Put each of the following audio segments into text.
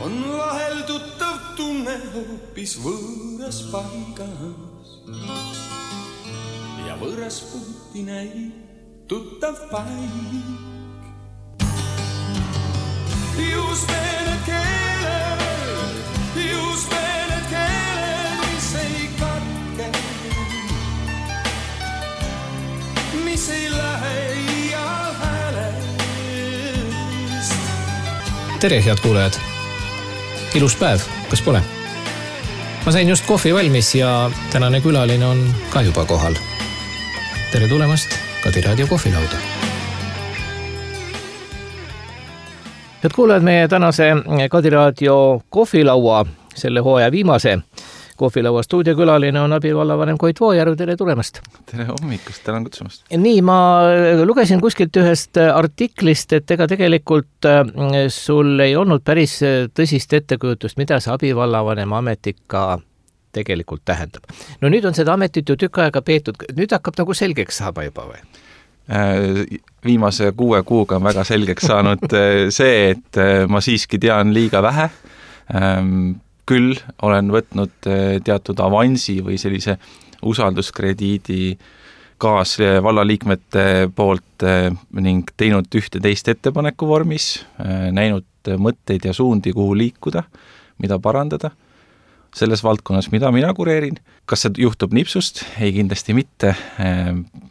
on vahel tuttav tunne hoopis võõras paigas ja võõras puuti näib tuttav paik. Just need keeled, mis ei katke, mis ei lähe iial häälest. Tere, head kuulajad! Ilus päev, kas pole? Ma sain just kohvi valmis ja tänane külaline on ka juba kohal. Tere tulemast Kadi Raadio kohvilauda. Head kuulajad, meie tänase Kadi Raadio kohvilaua, selle hooaja viimase kohvilaua stuudiokülaline on abivallavanem Koit Voojärv. Tere tulemast! Tere hommikust, tänan kutsumast! Nii, ma lugesin kuskilt ühest artiklist, et ega tegelikult sul ei olnud päris tõsist ettekujutust, mida see abivallavanem amet ikka tegelikult tähendab. No nüüd on seda ametit ju tükk aega peetud, nüüd hakkab nagu selgeks saama juba või? Viimase 6 kuuga on väga selgeks saanud see, et ma siiski tean liiga vähe. Küll olen võtnud teatud avansi või sellise usalduskrediidi kaasvallaliikmete poolt ning teinud ühte teist ettepaneku vormis, näinud mõtteid ja suundi, kuhu liikuda, mida parandada selles valdkonnas, mida mina kureerin. Kas see juhtub nipsust? Ei, kindlasti mitte.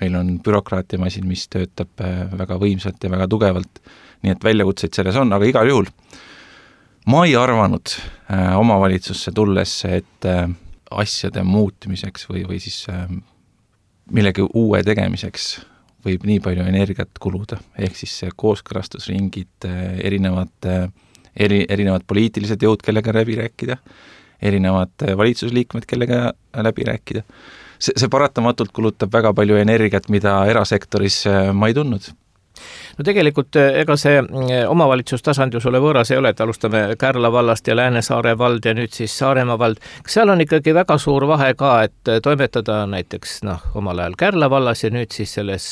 Meil on bürokraatiamasin, mis töötab väga võimsalt ja väga tugevalt, nii et väljakutseid selles on, aga igal juhul ma ei arvanud omavalitsusse tulles, et asjade muutmiseks või siis millegi uue tegemiseks võib nii palju energiat kuluda, ehk siis kooskõlastusringid, erinevad poliitilised jõud, kellega läbi rääkida, erinevad valitsusliikmed, kellega läbi rääkida. See paratamatult kulutab väga palju energiat, mida erasektoris ma ei tundnud. No tegelikult ega see omavalitsustasand ju sulle võõras ei ole, et alustame Kärla vallast ja Läänesaare vald ja nüüd siis Saaremaa vald. Kas seal on ikkagi väga suur vahe ka, et toimetada näiteks omal ajal Kärla vallas ja nüüd siis selles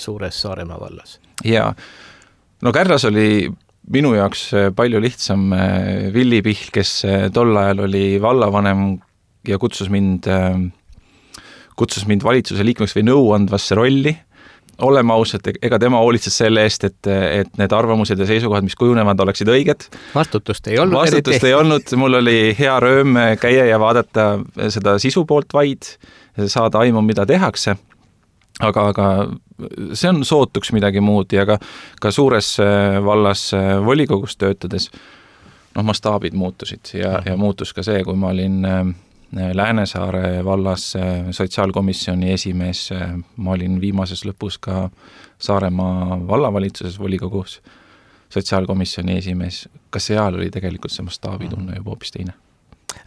suures Saaremaa vallas? Jaa, no Kärlas oli minu jaoks palju lihtsam Villi Pihl, kes tol ajal oli vallavanem ja kutsus mind valitsuse liikmeks või nõuandvasse rolli. Oleme ausad, ega tema hoolitses selle eest, et need arvamused ja seisukohad, mis kujunevad, oleksid õiged. Vastutust ei olnud. Vastutust ei olnud. Mul oli hea rööm käia ja vaadata seda sisu poolt vaid, saada aimu, mida tehakse. Aga see on sootuks midagi muud ja ka suures vallas volikogus töötades mastaabid muutusid ja muutus ka see, kui ma olin Läänesaare vallas sotsiaalkomisjoni esimees, ma olin viimases lõpus ka Saaremaa vallavalitsuses volikogus sotsiaalkomisjoni esimees. Kas seal oli tegelikult see mastaabitunne juba hoopis teine?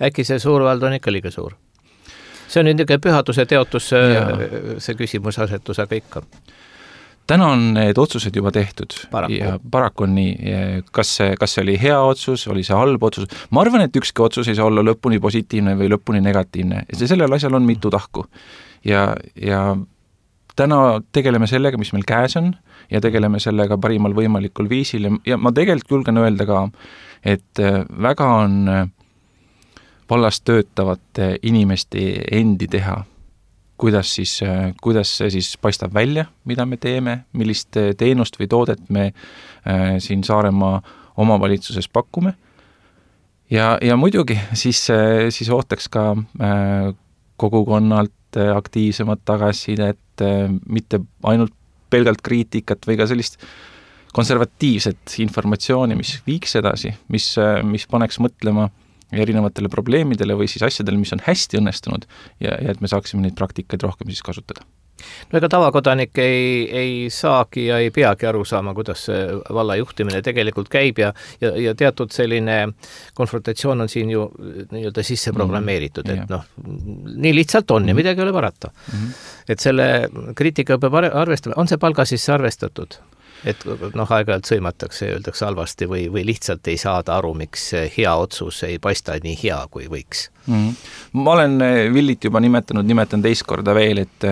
Äkki see suur vald on ikka liiga suur? See on nüüd pühaduse teotus, see küsimus asetus, aga ikka. Täna on need otsused juba tehtud. Ja paraku on nii. Kas see oli hea otsus, oli see halb otsus? Ma arvan, et ükski otsus ei saa olla lõpuni positiivne või lõpuni negatiivne. Sellel asjal on mitu tahku. Ja täna tegeleme sellega, mis meil käes on ja tegeleme sellega parimal võimalikul viisil. Ja ma tegelikult julgen öelda ka, et väga on vallas töötavate inimeste endi teha, kuidas see siis paistab välja, mida me teeme, millist teenust või toodet me siin Saaremaa omavalitsuses pakume. Ja muidugi siis ootaks ka kogukonnalt aktiivsemat tagasisidet, mitte ainult pelgalt kriitikat või ka sellist konservatiivset informatsiooni, mis viiks edasi, mis paneks mõtlema erinevatele probleemidele või siis asjadele, mis on hästi õnnestunud ja et me saaksime neid praktikaid rohkem siis kasutada. No ega tavakodanik ei saagi ja ei peagi aru saama, kuidas valla juhtimine tegelikult käib ja teatud selline konfrontatsioon on siin ju nii-öelda sisse programmeeritud, et nii lihtsalt on ja midagi ei ole parata. Et selle kriitika peab arvestama, on see palga sisse arvestatud? Et aeg-ajalt sõimatakse ja öeldakse halvasti või lihtsalt ei saada aru, miks hea otsus ei paista nii hea, kui võiks. Ma olen Villit juba nimetan teist korda veel, et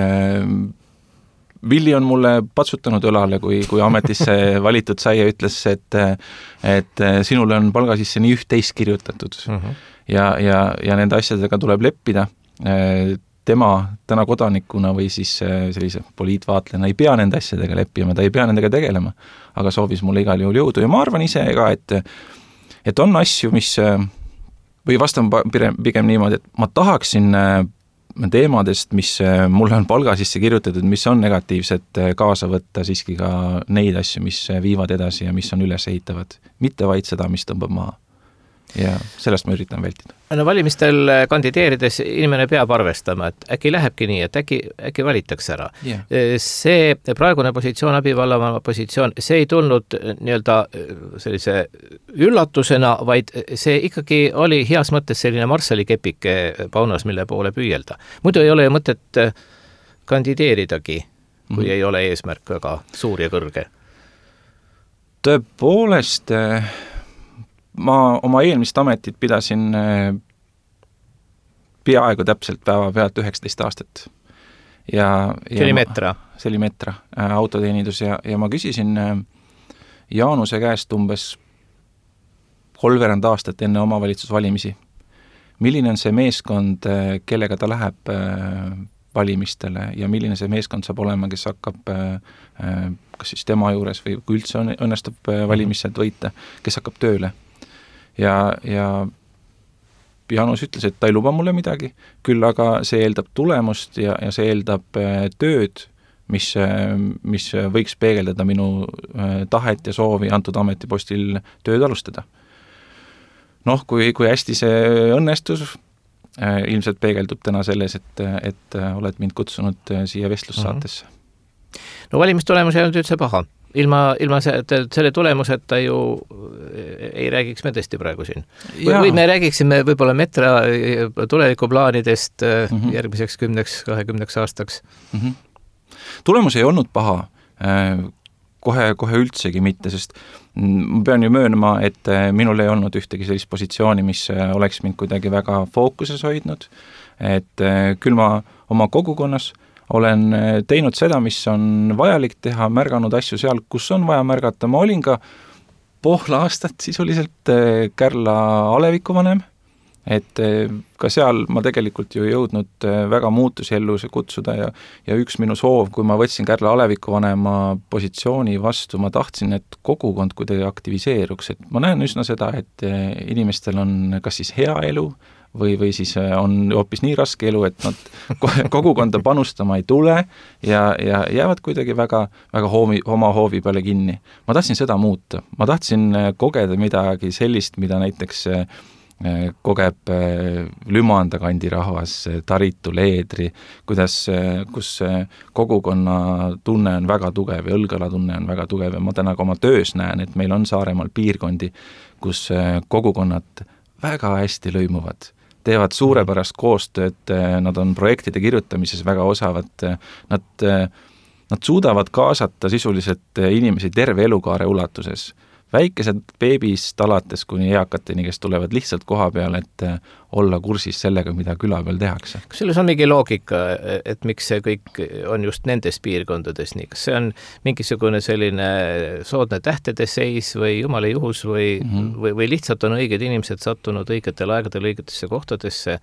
Villi on mulle patsutanud õlale, kui ametisse valitud sai ja ütles, et sinule on palga sisse nii üht-teist kirjutatud ja nende asjadega tuleb leppida. Tema täna kodanikuna või siis sellise poliitvaatlejana ei pea nende asjadega leppima, ta ei pea nendega tegelema, aga soovis mulle igal juhul jõudu ja ma arvan ise ka, et on asju, mis või vastan pigem niimoodi, et ma tahaksin teemadest, mis mulle on palga sisse kirjutatud, mis on negatiivsed, kaasa võtta siiski ka neid asju, mis viivad edasi ja mis on üles ehitavad. Mitte vaid seda, mis tõmbab maha. Ja sellest ma üritan vältida. No valimistel kandideerides inimene peab arvestama, et äkki lähebki nii, et äkki valitakse ära. Yeah. See praegune positsioon, abivallavanem positsioon, see ei tulnud nii-öelda sellise üllatusena, vaid see ikkagi oli heas mõttes selline Marsali kepike paunas, mille poole püüelda. Muidu ei ole mõtet kandideeridagi, kui ei ole eesmärk väga suur ja kõrge. Tõepoolest ma oma eelmist ametit pidasin peaaegu täpselt päeva pealt 19 aastat. See oli Metra? See oli Metra, autoteenindus ja ma küsisin Jaanuse käest umbes 3 aastat enne omavalitsusvalimisi. Milline on see meeskond, kellega ta läheb valimistele ja milline see meeskond saab olema, kes hakkab kas siis tema juures või kui üldse õnnestub valimised võita, kes hakkab tööle. Ja Jaanus ütles, et ta ei luba mulle midagi, küll aga see eeldab tulemust ja see eeldab tööd, mis võiks peegeldada minu tahet ja soovi antud ametipostil tööd alustada. Kui hästi see õnnestus, ilmselt peegeldub täna selles, et oled mind kutsunud siia vestlussaatesse. No valimistulemus ei olnud üldse paha. Ilma selle tulemuseta ju ei räägiks me tõesti praegu siin. Või me räägiksime võib-olla Metra tulevikuplaanidest järgmiseks 10-20 aastaks. Tulemus ei olnud paha, kohe üldsegi mitte, sest ma pean ju möönma, et minul ei olnud ühtegi sellist positsiooni, mis oleks mind kuidagi väga fookuses hoidnud, et küll ma oma kogukonnas olen teinud seda, mis on vajalik teha, märganud asju seal, kus on vaja märgata. Ma olin ka pool aastat sisuliselt Kärla alevikuvanem, et ka seal ma tegelikult ju jõudnud väga muutusi ellu kutsuda ja üks minu soov, kui ma võtsin Kärla alevikuvanema positsiooni vastu, ma tahtsin, et kogukond kuidagi aktiviseeruks, et ma näen üsna seda, et inimestel on kas siis hea elu, või siis on hoopis nii raske elu, et nad kogukonda panustama ei tule ja jäävad kuidagi väga oma hoovi peale kinni. Ma tahtsin seda muuta. Ma tahtsin kogeda midagi sellist, mida näiteks kogeb Lümanda kandi rahvas, Taritu, Leedri, kus kogukonna tunne on väga tugev ja Õlgala tunne on väga tugev ja ma täna ka oma töös näen, et meil on Saaremaal piirkondi, kus kogukonnad väga hästi lõimuvad, teevad suurepärast koostööd, nad on projektide kirjutamises väga osavad, nad suudavad kaasata sisuliselt inimesi terve elukaare ulatuses. Väikesed beebist alates kuni eakateni, kes tulevad lihtsalt koha peal, et olla kursis sellega, mida küla peal tehakse. Kas selles on mingi loogika, et miks see kõik on just nendes piirkondades nii? Kas see on mingisugune selline soodne tähtede seis või jumala juhus või lihtsalt on õiged inimesed sattunud õigetel aegadel õigetesse kohtadesse?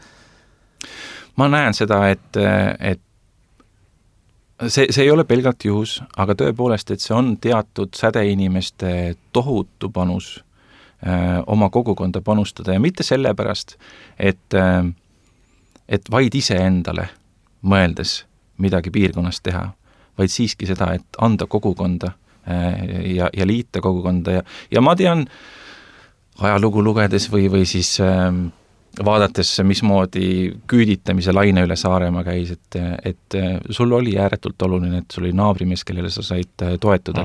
Ma näen seda, et see ei ole pelgalt juhus, aga tõepoolest, et see on teatud sädeinimeste tohutu panus oma kogukonda panustada ja mitte sellepärast, et vaid iseendale mõeldes midagi piirkonnas teha, vaid siiski seda, et anda kogukonda ja liita kogukonda ja ma tean ajalugu lugedes või siis vaadates, mismoodi küüditamise laine üle Saaremaa käis, et sul oli ääretult oluline, et sul oli naabrimees, kellele sa said toetuda,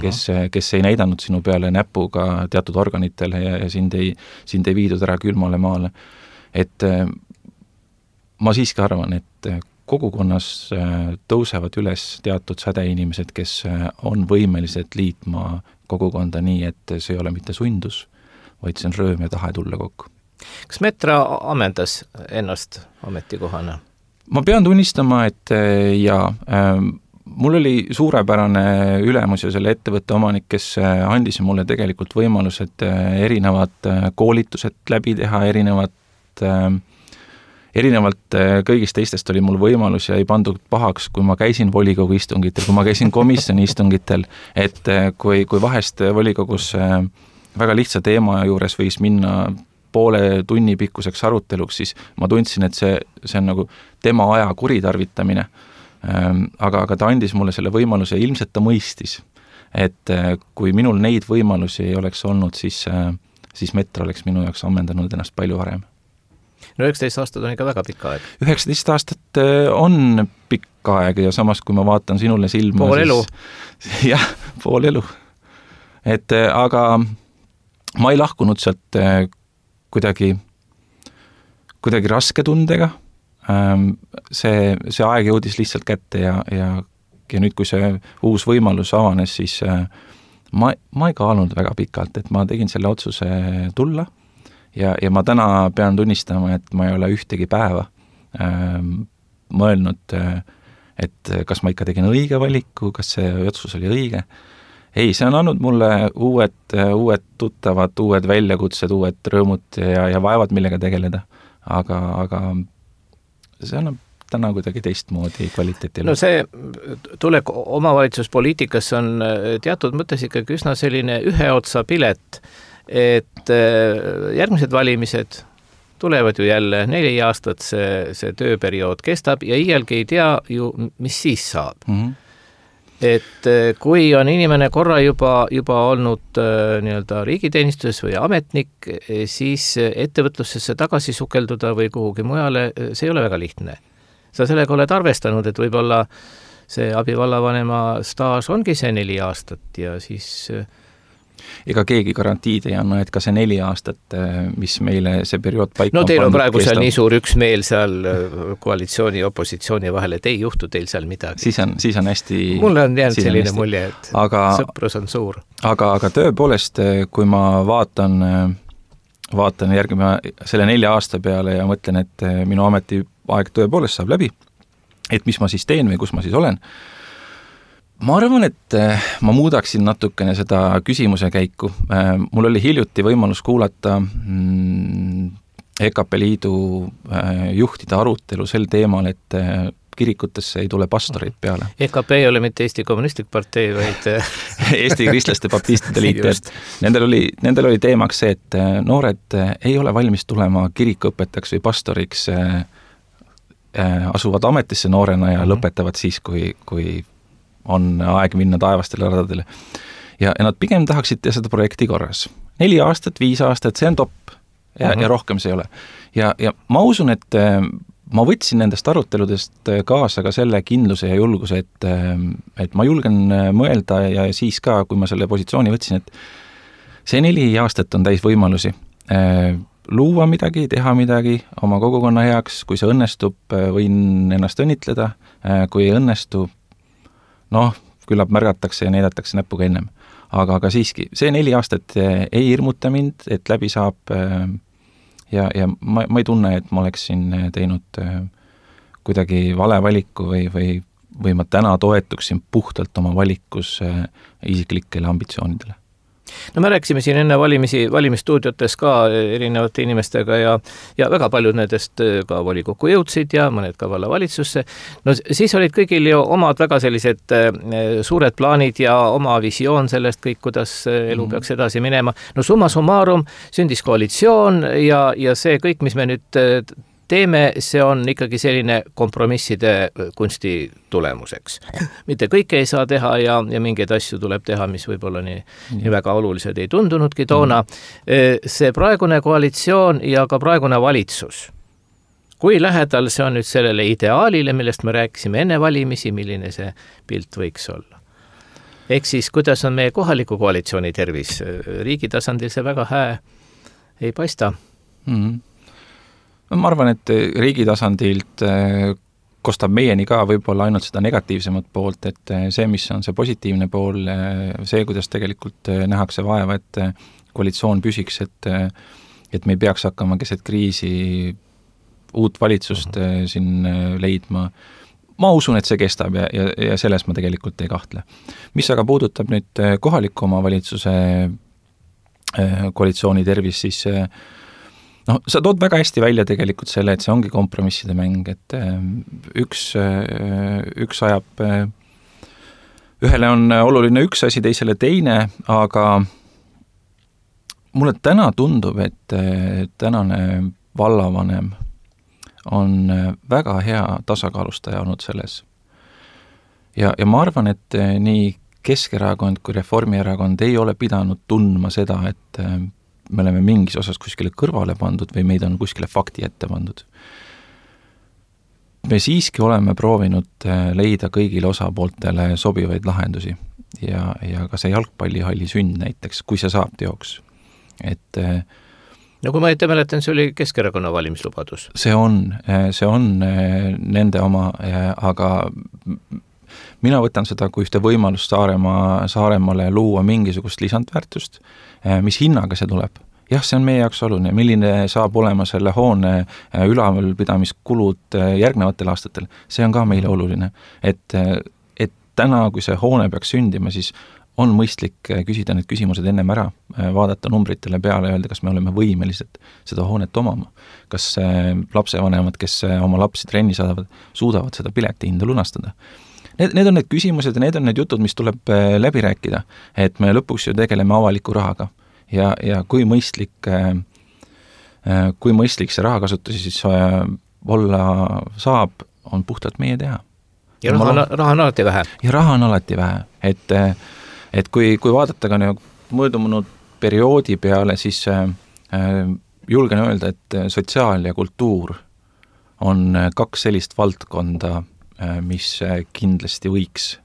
kes ei näidanud sinu peale näpuga teatud organitele ja sind ei viidud ära külmale maale. Et ma siiski arvan, et kogukonnas tõusevad üles teatud sädeinimesed, kes on võimelised liitma kogukonda nii, et see ei ole mitte sundus, vaid see on rõõm ja tahe tulla kokku. Kas Metra ammendas ennast ametikohana? Ma pean tunnistama, et mul oli suurepärane ülemus ja selle ettevõtte omanik, kes andis mulle tegelikult võimalused erinevad koolitused läbi teha, erinevalt kõigist teistest oli mul võimalus ja ei pandud pahaks, kui ma käisin volikogu istungitel, kui ma käisin komisjoni istungitel, et kui vahest volikogus väga lihtsa teema juures võis minna poole tunni pikkuseks aruteluks, siis ma tundsin, et see on nagu tema aja kuritarvitamine. Aga ta andis mulle selle võimaluse, ilmselt ta mõistis, et kui minul neid võimalusi ei oleks olnud, siis Metro oleks minu jaoks ammendanud ennast palju varem. No 19 aastat on ikka väga pikk aeg. 19 aastat on pikk aeg ja samas, kui ma vaatan sinule silma... Pool elu. Jah, pool elu. Aga ma ei lahkunud sealt kuidagi raske tundega. See aeg jõudis lihtsalt kätte ja nüüd, kui see uus võimalus avanes, siis ma ei kaalunud väga pikalt, et ma tegin selle otsuse tulla. Ja ma täna pean tunnistama, et ma ei ole ühtegi päeva mõelnud, et kas ma ikka tegin õige valiku, kas see otsus oli õige. Ei, see on andnud mulle uued tuttavad, uued väljakutsed, uued rõõmud ja vaevad, millega tegeleda. Aga see annab täna kuidagi teistmoodi kvaliteetile. No see tulek omavalitsuspoliitikas on teatud mõttes ikkagi üsna selline ühe otsa pilet, et järgmised valimised tulevad ju jälle 4 aastat, see tööperiood kestab ja iialgi ei tea ju, mis siis saab. Et kui on inimene korra juba olnud nii-öelda riigiteenistuses või ametnik, siis ettevõtlusesse tagasi sukelduda või kuhugi mujale, see ei ole väga lihtne. Sa sellega oled arvestanud, et võib-olla see abivallavanema staaž ongi see 4 aastat ja siis... Ega keegi garantiid ei anna, et ka see 4 aastat, mis meile see periood paika no teil on praegu seal nii suur üksmeel seal koalitsiooni ja opositsiooni vahel, et ei juhtu teil seal midagi. Siis on hästi... Mulle on jäänud selline mulje, et sõprus on suur. Aga tõepoolest, kui ma vaatan järgima selle 4 aasta peale ja mõtlen, et minu ametiaeg tõepoolest saab läbi, et mis ma siis teen või kus ma siis olen, ma arvan, et ma muudaksin natukene seda küsimuse käiku. Mul oli hiljuti võimalus kuulata EKP Liidu juhtide arutelu sel teemal, et kirikutesse ei tule pastoreid peale. EKP ei ole mitte Eesti Kommunistlik Partei, vaid Eesti Kristlaste Baptistide Liit. Nendel oli teemaks see, et noored ei ole valmis tulema kirikuõpetajaks või pastoriks, asuvad ametisse noorena ja lõpetavad siis, kui on aeg minna taevastele radadele. Ja nad pigem tahaksid teha seda projekti korras. 4 aastat, 5 aastat, see on top ja rohkem see ei ole. Ja ma usun, et ma võtsin nendest aruteludest kaasa ka selle kindluse ja julguse, et ma julgen mõelda ja siis ka, kui ma selle positsiooni võtsin, et see 4 aastat on täis võimalusi. Luua midagi, teha midagi oma kogukonna heaks, kui see õnnestub, võin ennast õnnitleda, kui ei õnnestu, küllap märgatakse ja näidatakse näpuga ennem. Aga siiski, see 4 aastat ei hirmuta mind, et läbi saab ja ma ei tunne, et ma oleksin teinud kuidagi vale valiku või ma täna toetuksin puhtalt oma valikus isiklikele ambitsioonidele. No me rääkisime siin enne valimisstuudiotes ka erinevate inimestega ja väga paljud nendest ka volikokku jõudsid ja mõned ka vallavalitsusse. No siis olid kõigil ju omad väga sellised suured plaanid ja oma visioon sellest kõik, kuidas elu peaks edasi minema. No summa summarum sündis koalitsioon ja see kõik, mis me nüüd teeme, see on ikkagi selline kompromisside kunsti tulemuseks. Mitte kõike ei saa teha ja mingeid asju tuleb teha, mis võib-olla nii väga olulised ei tundunudki toona. See praegune koalitsioon ja ka praegune valitsus, kui lähedal see on nüüd sellele ideaalile, millest me rääkisime enne valimisi, milline see pilt võiks olla? Ehk siis, kuidas on meie kohaliku koalitsiooni tervis? Riigi tasandil see väga hää ei paista. Ma arvan, et riigi tasandilt kostab meieni ka võib-olla ainult seda negatiivsemat poolt, et see, mis on see positiivne pool, see, kuidas tegelikult nähakse vaeva, et koalitsioon püsiks, et me ei peaks hakkama keset kriisi uut valitsust siin leidma. ma usun, et see kestab ja selles ma tegelikult ei kahtle. Mis aga puudutab nüüd kohaliku omavalitsuse koalitsiooni tervis, siis sa tood väga hästi välja tegelikult selle, et see ongi kompromisside mäng, et üks ajab, ühele on oluline üks asi, teisele teine, aga mulle täna tundub, et tänane vallavanem on väga hea tasakaalustaja olnud selles. Ja ma arvan, et nii Keskerakond kui Reformierakond ei ole pidanud tundma seda, et me oleme mingis osas kuskile kõrvale pandud või meid on kuskile fakti ette pandud. Me siiski oleme proovinud leida kõigile osapooltele sobivaid lahendusi ja ka see jalgpallihalli sünd näiteks, kui see saab teoks. Et no kui ma ette mäletan, see oli Keskerakonna valimislubadus. See on nende oma, aga mina võtan seda kui ühte võimalust Saaremaale luua mingisugust lisandväärtust, mis hinnaga see tuleb. Jah, see on meie jaoks oluline, milline saab olema selle hoone ülalpidamiskulud järgnevatel aastatel. See on ka meile oluline, et täna, kui see hoone peaks sündima, siis on mõistlik küsida need küsimused ennem ära, vaadata numbritele peale ja öelda, kas me oleme võimelised seda hoonet omama. Kas lapsevanemad, kes oma lapsi trenni saadavad, suudavad seda piletihinda lunastada. Need on need küsimused ja need on need jutud, mis tuleb läbi rääkida, et me lõpuks ju tegeleme avaliku rahaga ja kui mõistlik see rahakasutusi siis olla saab, on puhtalt meie teha. Ja raha on alati vähe. Ja raha on alati vähe, et kui vaadata ka möödunud perioodi peale, siis julgen öelda, et sotsiaal ja kultuur on kaks sellist valdkonda, mis kindlasti võiks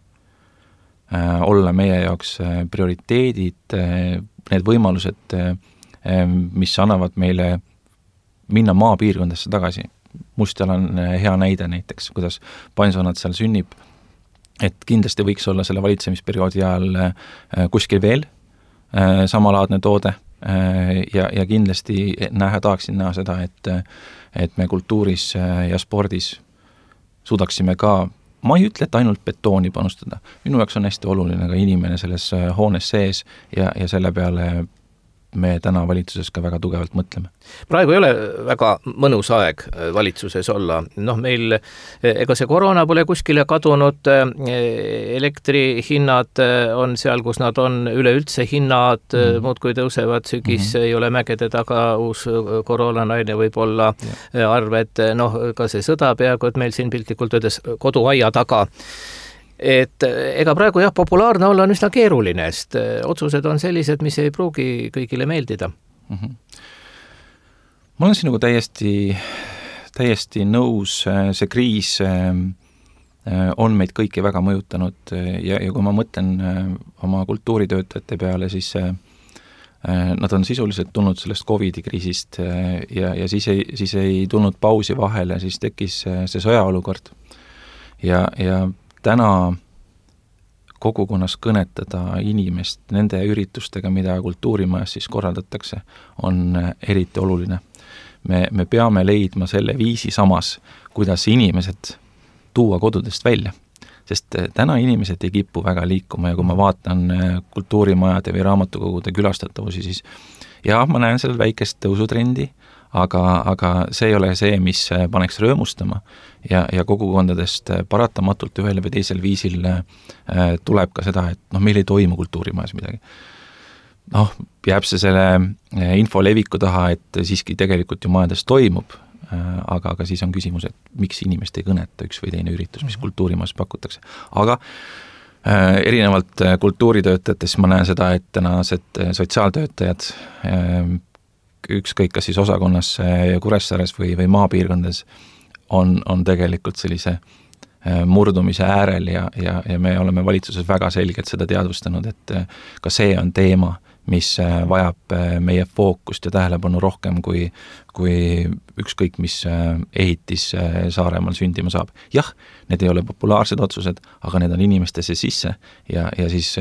olla meie jaoks prioriteedid, need võimalused, mis annavad meile minna maapiirkondesse tagasi. Mustal on hea näide näiteks, kuidas pensionat seal sünnib, et kindlasti võiks olla selle valitsemisperioodi ajal kuskil veel samalaadne toode ja kindlasti tahaksin näha seda, et me kultuuris ja spordis suudaksime ka, ma ei ütle, et ainult betooni panustada. Minu jaoks on hästi oluline ka inimene selles hoones sees ja selle peale me täna valitsuses ka väga tugevalt mõtleme. Praegu ei ole väga mõnus aeg valitsuses olla. Meil, ega see koroona pole kuskile kadunud, elektrihinnad on seal, kus nad on, üleüldse hinnad muudkui tõusevad, sügis ei ole mägede taga, uus koroonanaine võib olla arved, ka see sõda peaaegu, et meil siin piltlikult öeldes koduaia taga. Et ega praegu populaarne olla on üsna keeruline, sest otsused on sellised, mis ei pruugi kõigile meeldida. Ma olen sinuga täiesti nõus, see kriis on meid kõiki väga mõjutanud ja kui ma mõtlen oma kultuuritöötajate peale, siis nad on sisuliselt tulnud sellest COVID-i kriisist ja siis ei tulnud pausi vahele, siis tekkis see sõjaolukord ja täna kogukonnas kõnetada inimest nende üritustega, mida kultuurimajas siis korraldatakse, on eriti oluline. Me peame leidma selle viisi samas, kuidas inimesed tuua kodudest välja. Sest täna inimesed ei kipu väga liikuma ja kui ma vaatan kultuurimajade või raamatukogude külastatavusi, siis jah, ma näen seal väikest tõusutrendi, aga see ei ole see, mis paneks rõõmustama ja kogukondadest paratamatult ühel või teisel viisil tuleb ka seda, et meil ei toimu kultuurimajas midagi. Jääb see selle info leviku taha, et siiski tegelikult ju majades toimub, aga siis on küsimus, et miks inimest ei kõneta üks või teine üritus, mis kultuurimajas pakutakse. Aga erinevalt kultuuritöötajatest ma näen seda, et tänased sotsiaaltöötajad ükskõik kas siis osakonnas Kuressaares või maapiirkondades on tegelikult sellise murdumise äärel ja me oleme valitsuses väga selgelt seda teadvustanud, et ka see on teema, mis vajab meie fookust ja tähelepanu rohkem kui ükskõik mis ehitis Saaremaal sündima saab. Jah, need ei ole populaarsed otsused, aga need on inimestesse sisse ja siis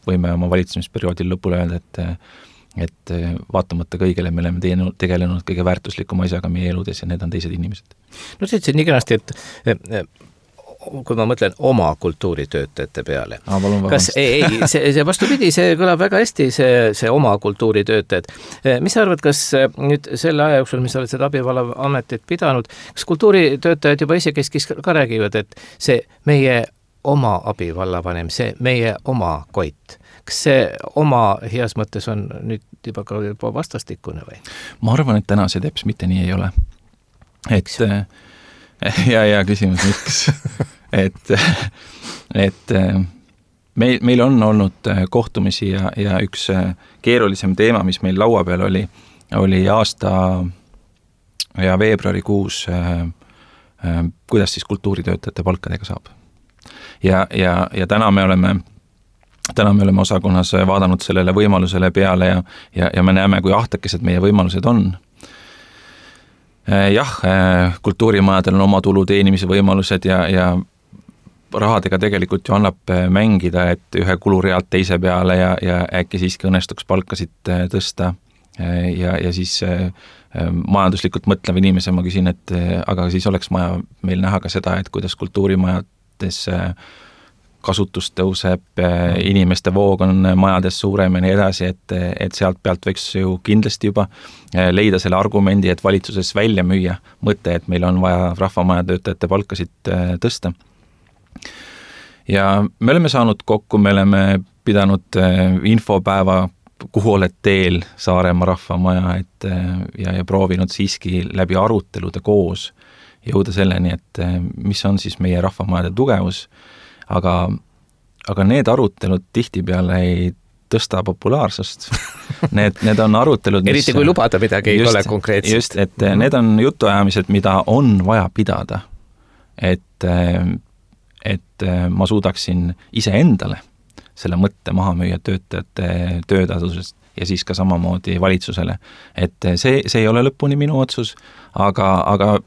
võime oma valitsemisperioodil lõpule öelda, et vaatamata kõigele me oleme tegelenud kõige väärtuslikuma asjaga meie eludes ja need on teised inimesed. No see ütlesid nii kenasti, et kui ma mõtlen oma kultuuritöötajate peale. Kas see vastupidi, see kõlab väga hästi, see oma kultuuritöötajad. Mis sa arvad, kas nüüd selle aja jooksul, mis sa oled seda abivallaametit pidanud, kas kultuuritöötajad juba isekeskis ka räägivad, et see meie oma abivallavanem, see meie oma Koit, kas see oma heas mõttes on nüüd juba vastastikune või? Ma arvan, et täna see teps mitte nii ei ole. Et ja küsimus, miks? et meil on olnud kohtumisi ja üks keerulisem teema, mis meil laua peal oli aasta ja veebruarikuus, kuidas siis kultuuritöötajate palkadega saab. Ja täna me oleme osakonnas vaadanud sellele võimalusele peale ja me näeme, kui ahtakesed meie võimalused on. Jah, kultuurimajadel on oma tulu teenimise võimalused ja rahadega tegelikult ju annab mängida, et ühe kulurealt teise peale ja äkki siiski õnnestuks palkasid tõsta ja siis majanduslikult mõtlev inimese ma küsin, et aga siis oleks maja meil näha ka seda, et kuidas kultuurimajades kasutus tõuseb, inimeste voog on majades suurem ja nii edasi, et sealt pealt võiks ju kindlasti juba leida selle argumendi, et valitsuses välja müüa mõte, et meil on vaja rahvamaja töötajate palkasid tõsta. Ja me oleme saanud kokku, me oleme pidanud infopäeva, kuhu oled teel Saaremaa rahvamaja, ja proovinud siiski läbi arutelude koos jõuda selleni, et mis on siis meie rahvamajade tugevus, aga need arutelud tihtipeale ei tõsta populaarsust. Need on arutelud, mis... Eriti kui lubada midagi ei ole konkreetselt. Just, et need on jutuajamised, mida on vaja pidada. Et ma suudaksin ise endale selle mõtte maha müüa töötajate töötasusest ja siis ka samamoodi valitsusele. Et see ei ole lõpuni minu otsus, aga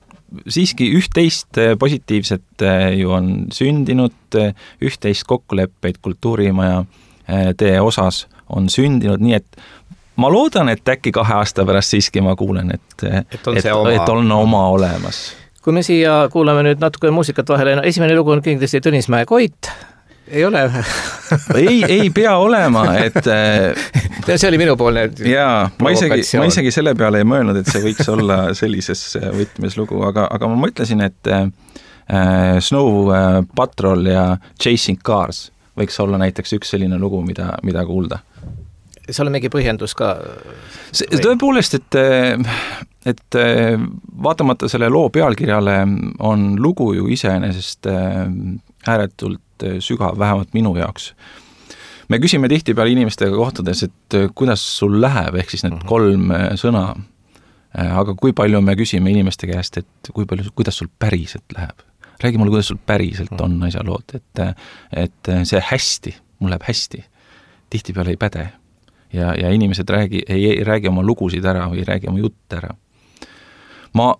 siiski üht-teist positiivset ju on sündinud, üht-teist kokkuleppeid kultuurimaja tee osas on sündinud, nii et ma loodan, et äkki 2 aasta pärast siiski ma kuulen, et on oma olemas. Kui me siia kuulame nüüd natuke muusikat vahele, esimene lugu on kindlasti Tõnismäe Koit, ei ole? ei pea olema, et... see oli minupoolne ma isegi selle peale ei mõelnud, et see võiks olla sellises võtmes lugu, aga ma mõtlesin, et Snow Patrol ja Chasing Cars võiks olla näiteks üks selline lugu, mida kuulda. See on mingi põhjendus ka? Tõepoolest, et vaatamata selle loo pealkirjale on lugu ju iseenesest ääretult sügav, vähemalt minu jaoks. Me küsime tihtipeale inimestega kohtades, et kuidas sul läheb, ehk siis need 3 sõna, aga kui palju me küsime inimeste käest, et kuidas sul päriselt läheb. Räägi mulle, kuidas sul päriselt on asjalood, et see hästi, mul läheb hästi, tihtipeale ei päde. Ja inimesed ei räägi oma lugusid ära või ei räägi oma jutte ära. Ma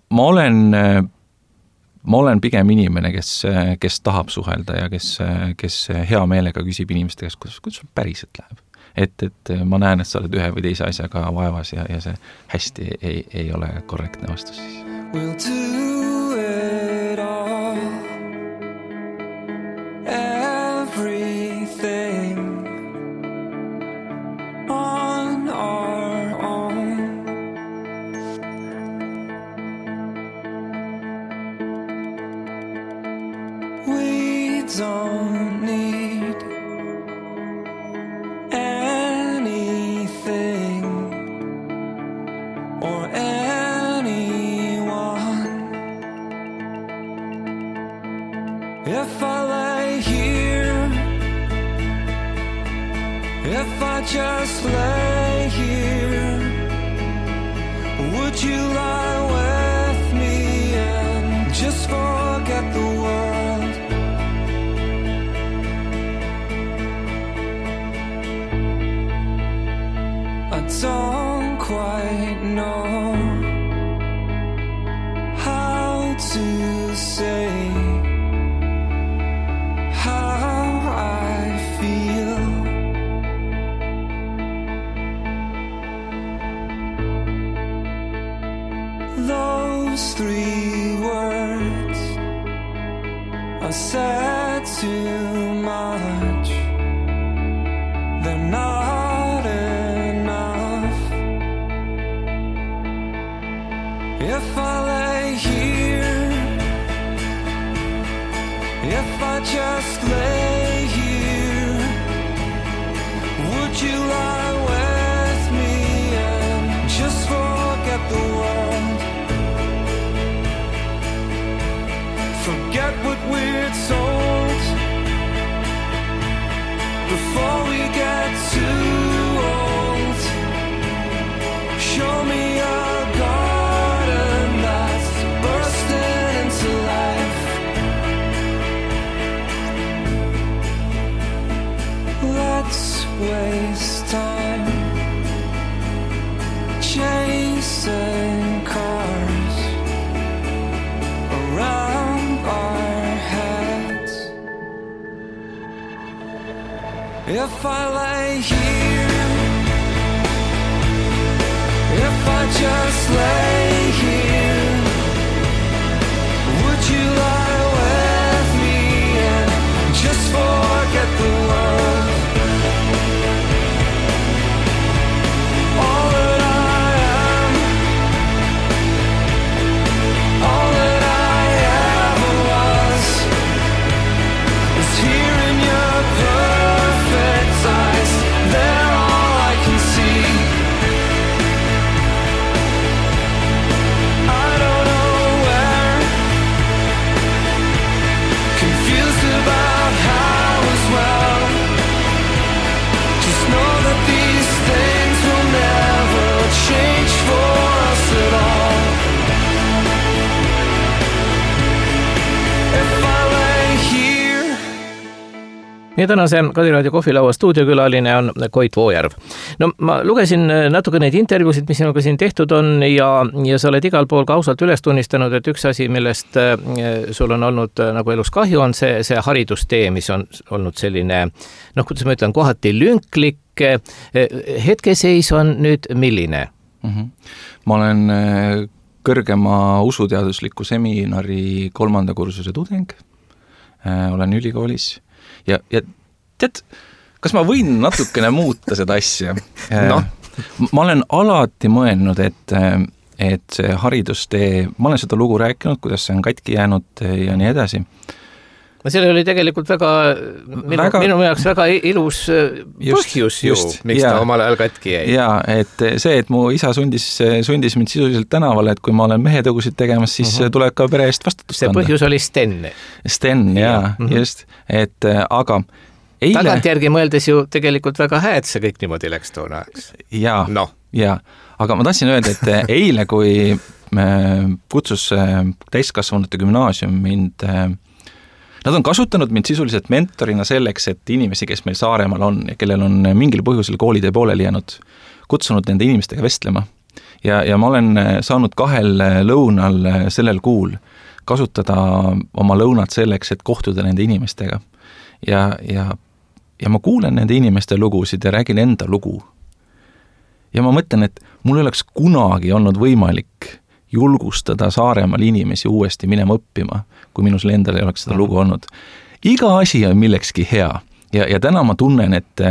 olen pigem inimene, kes tahab suhelda ja kes hea meelega küsib inimeste käest, kuidas sul päriselt läheb. Et ma näen, et sa oled ühe või teise asjaga vaevas ja see hästi ei ole korrektne vastus siis. We'll do it all, everything on our own. We don't need anything or anyone. If I lay here, if I just lay here, would you lie with me and just forget the world? I don't quite know how to say how I feel. Those 3 words are said too much. They're not enough. If I lay here, if I just lay here, would you lie with me and just forget the world? Forget what we're told before we get too old. Show me a garden that's bursting into life. Let's waste time chasing cars around our heads. If I lay here, if I just lay here, would you lie with me and just forget the world? All that I am, all that I ever was, is here in your perfect eyes. They're all I can see. I don't know where, confused about how as well. Just know that these things will never change for us at all. If I lay here. Ja tänase Kadiraadio kohvilaua stuudiokülaline on Koit Voojärv. No ma lugesin natuke neid intervjuusid, mis sinuga siin tehtud on ja sa oled igal pool ka ausalt üles tunnistanud, et üks asi, millest sul on olnud nagu elus kahju, on see haridustee, mis on olnud selline, kuidas ma ütlen, kohati lünklik. Hetkeseis on nüüd milline? Ma olen kõrgema usuteadusliku seminari 3. kursuse tudeng. Olen ülikoolis. Ja tead, kas ma võin natukene muuta seda asja? No. Ma olen alati mõelnud, et see haridustee, ma olen seda lugu rääkinud, kuidas see on katki jäänud ja nii edasi. Selle oli tegelikult minu jaoks väga ilus põhjus miks ta omal ajal katki jäi. Jaa, et see, et mu isa sundis mind sisuliselt tänavale, et kui ma olen mehetõgusid tegemas, siis tuleb ka pere eest vastutust anda. See põhjus oli Sten. Sten, jaa, just. Et aga eile... Tagantjärgi mõeldes ju tegelikult väga hääd see kõik niimoodi läks toona ajaks. Jaa, aga ma tahtsin öelda, et eile, kui kutsus täiskasvanute gümnaasium mind... Nad on kasutanud mind sisuliselt mentorina selleks, et inimesi, kes meil Saaremaal on ja kellel on mingil põhjusel koolide pooleli jäänud, kutsunud nende inimestega vestlema. Ja ma olen saanud 2 lõunal sellel kuul kasutada oma lõunad selleks, et kohtuda nende inimestega. Ja ma kuulen nende inimeste lugusid ja räägin enda lugu. Ja ma mõtlen, et mul ei oleks kunagi olnud võimalik julgustada Saaremaal inimesi uuesti minema õppima, kui minus endal ei oleks seda lugu olnud. Iga asi on millekski hea ja täna ma tunnen, et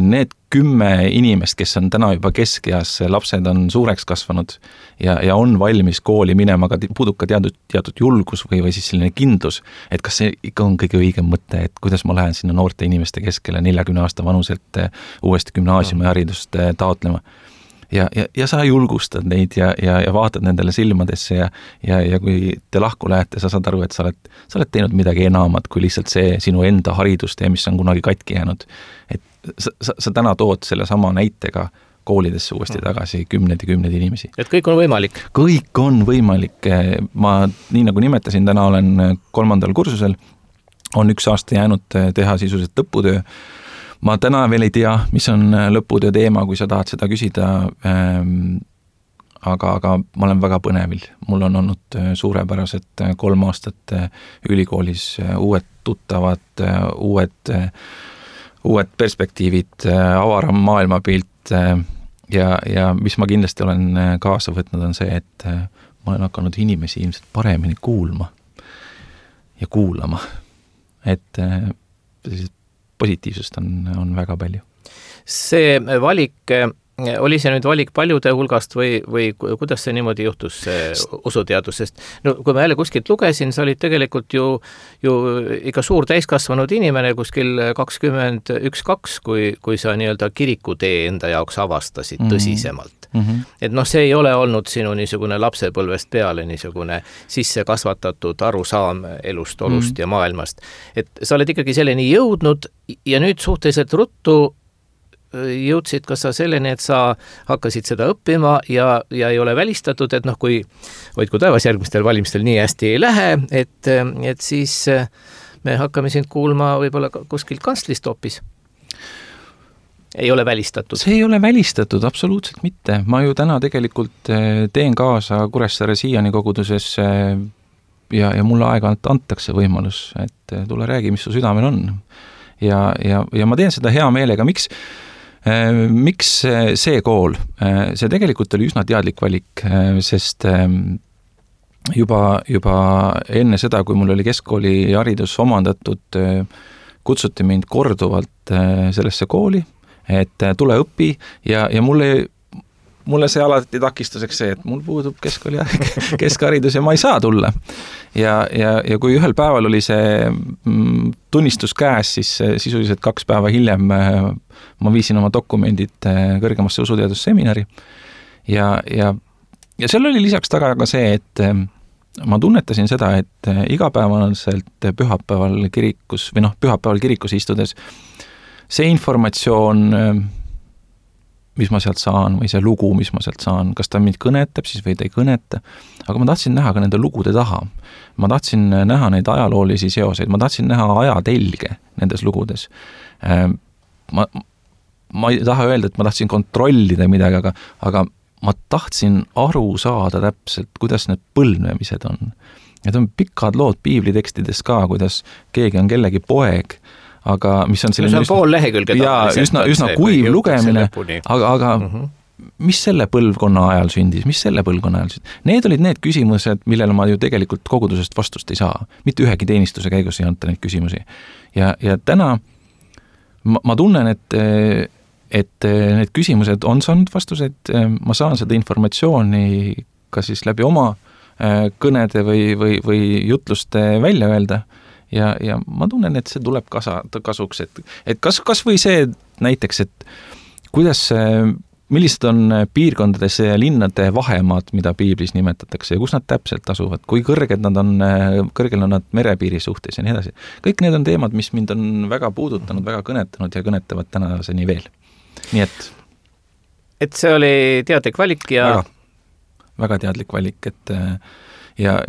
need 10 inimest, kes on täna juba keskeas, lapsed on suureks kasvanud ja on valmis kooli minema, aga puudub ka teatud julgus või siis selline kindlus, et kas see ikka on kõige õigem mõte, et kuidas ma lähen sinna noorte inimeste keskele 40 aasta vanuselt uuesti gümnaasiumi haridust taotlema. Ja sa julgustad neid ja vaatad nendele silmadesse ja kui te lahku lähete, sa saad aru, et sa oled teinud midagi enamat kui lihtsalt see sinu enda haridustee, mis on kunagi katki jäänud. Et sa täna tood selle sama näitega koolidesse uuesti tagasi kümned inimesi. Et kõik on võimalik? Kõik on võimalik. Ma nii nagu nimetasin, täna olen 3. kursusel, on 1 aasta jäänud teha sisuliselt lõputöö. Ma täna veel ei tea, mis on lõputöö teema, kui sa tahad seda küsida, aga ma olen väga põnevil. Mul on olnud suurepärased 3 aastat ülikoolis, uued tuttavad, uued perspektiivid, avaram maailmapilt ja mis ma kindlasti olen kaasa võtnud on see, et ma olen hakanud inimesi ilmselt paremini kuulma. ja kuulama. Et positiivsust on väga palju. See valik, oli see nüüd valik paljude hulgast või kuidas see niimoodi juhtus usuteadusest? No kui ma jälle kuskilt lugesin, sa olid tegelikult ju ikka suur täiskasvanud inimene kuskil 21-2, kui sa nii-öelda kirikutee enda jaoks avastasid tõsisemalt. Et see ei ole olnud sinu niisugune lapsepõlvest peale niisugune sisse kasvatatud arusaam elust, olust ja maailmast. Et sa oled ikkagi selleni jõudnud ja nüüd suhteliselt ruttu jõudsid ka sa selleni, et sa hakkasid seda õppima ja ei ole välistatud, et kui hoidku taevas järgmistel valimistel nii hästi ei lähe, et siis me hakkame sind kuulma võib-olla kuskilt kantslist hoopis. Ei ole välistatud? See ei ole välistatud, absoluutselt mitte. Ma ju täna tegelikult teen kaasa Kuressaare siiani koguduses ja mulle aeg-ajalt antakse võimalus, et tule räägi, mis su südamel on. Ja ma teen seda hea meelega. Miks see kool? See tegelikult oli üsna teadlik valik, sest juba enne seda, kui mul oli keskkooli haridus omandatud, kutsuti mind korduvalt sellesse kooli, et tule õpi ja mulle see alati takistuseks see, et mul puudub keskharidus ja ma ei saa tulla. Ja kui ühel päeval oli see tunnistus käes, siis sisuliselt 2 päeva hiljem ma viisin oma dokumendid kõrgemasse usuteadusseminari ja seal oli lisaks taga ka see, et ma tunnetasin seda, et igapäevaselt pühapäeval kirikus istudes see informatsioon, mis ma sealt saan, või see lugu, mis ma sealt saan, kas ta mind kõnetab siis või ta ei kõneta, aga ma tahtsin näha ka nende lugude taha. Ma tahtsin näha neid ajaloolisi seoseid, ma tahtsin näha ajatelge nendes lugudes. Ma ei taha öelda, et ma tahtsin kontrollida midagi, aga ma tahtsin aru saada täpselt, kuidas need põlvnemised on. Need on pikad lood piiblitekstides ka, kuidas keegi on kellegi poeg, aga mis on selline pool lehekülge üsna kuiv lugemine, aga mis selle põlvkonna ajal sündis, Need olid need küsimused, millele ma ju tegelikult kogudusest vastust ei saa. Mitte ühegi teenistuse käigus ei anta neid küsimusi. Ja täna ma tunnen, et need küsimused on saanud vastused, ma saan seda informatsiooni ka siis läbi oma kõnede või jutluste välja öelda. Ja ma tunnen, et see tuleb kasuks, et kas või see näiteks, et millised on piirkondades ja linnade vahemaad, mida piiblis nimetatakse ja kus nad täpselt asuvad, kui kõrgel on nad merepiiri suhtes ja nii edasi. Kõik need on teemad, mis mind on väga puudutanud, väga kõnetanud ja kõnetavad tänaseni veel. Nii et see oli teadlik valik ja väga teadlik valik, et ja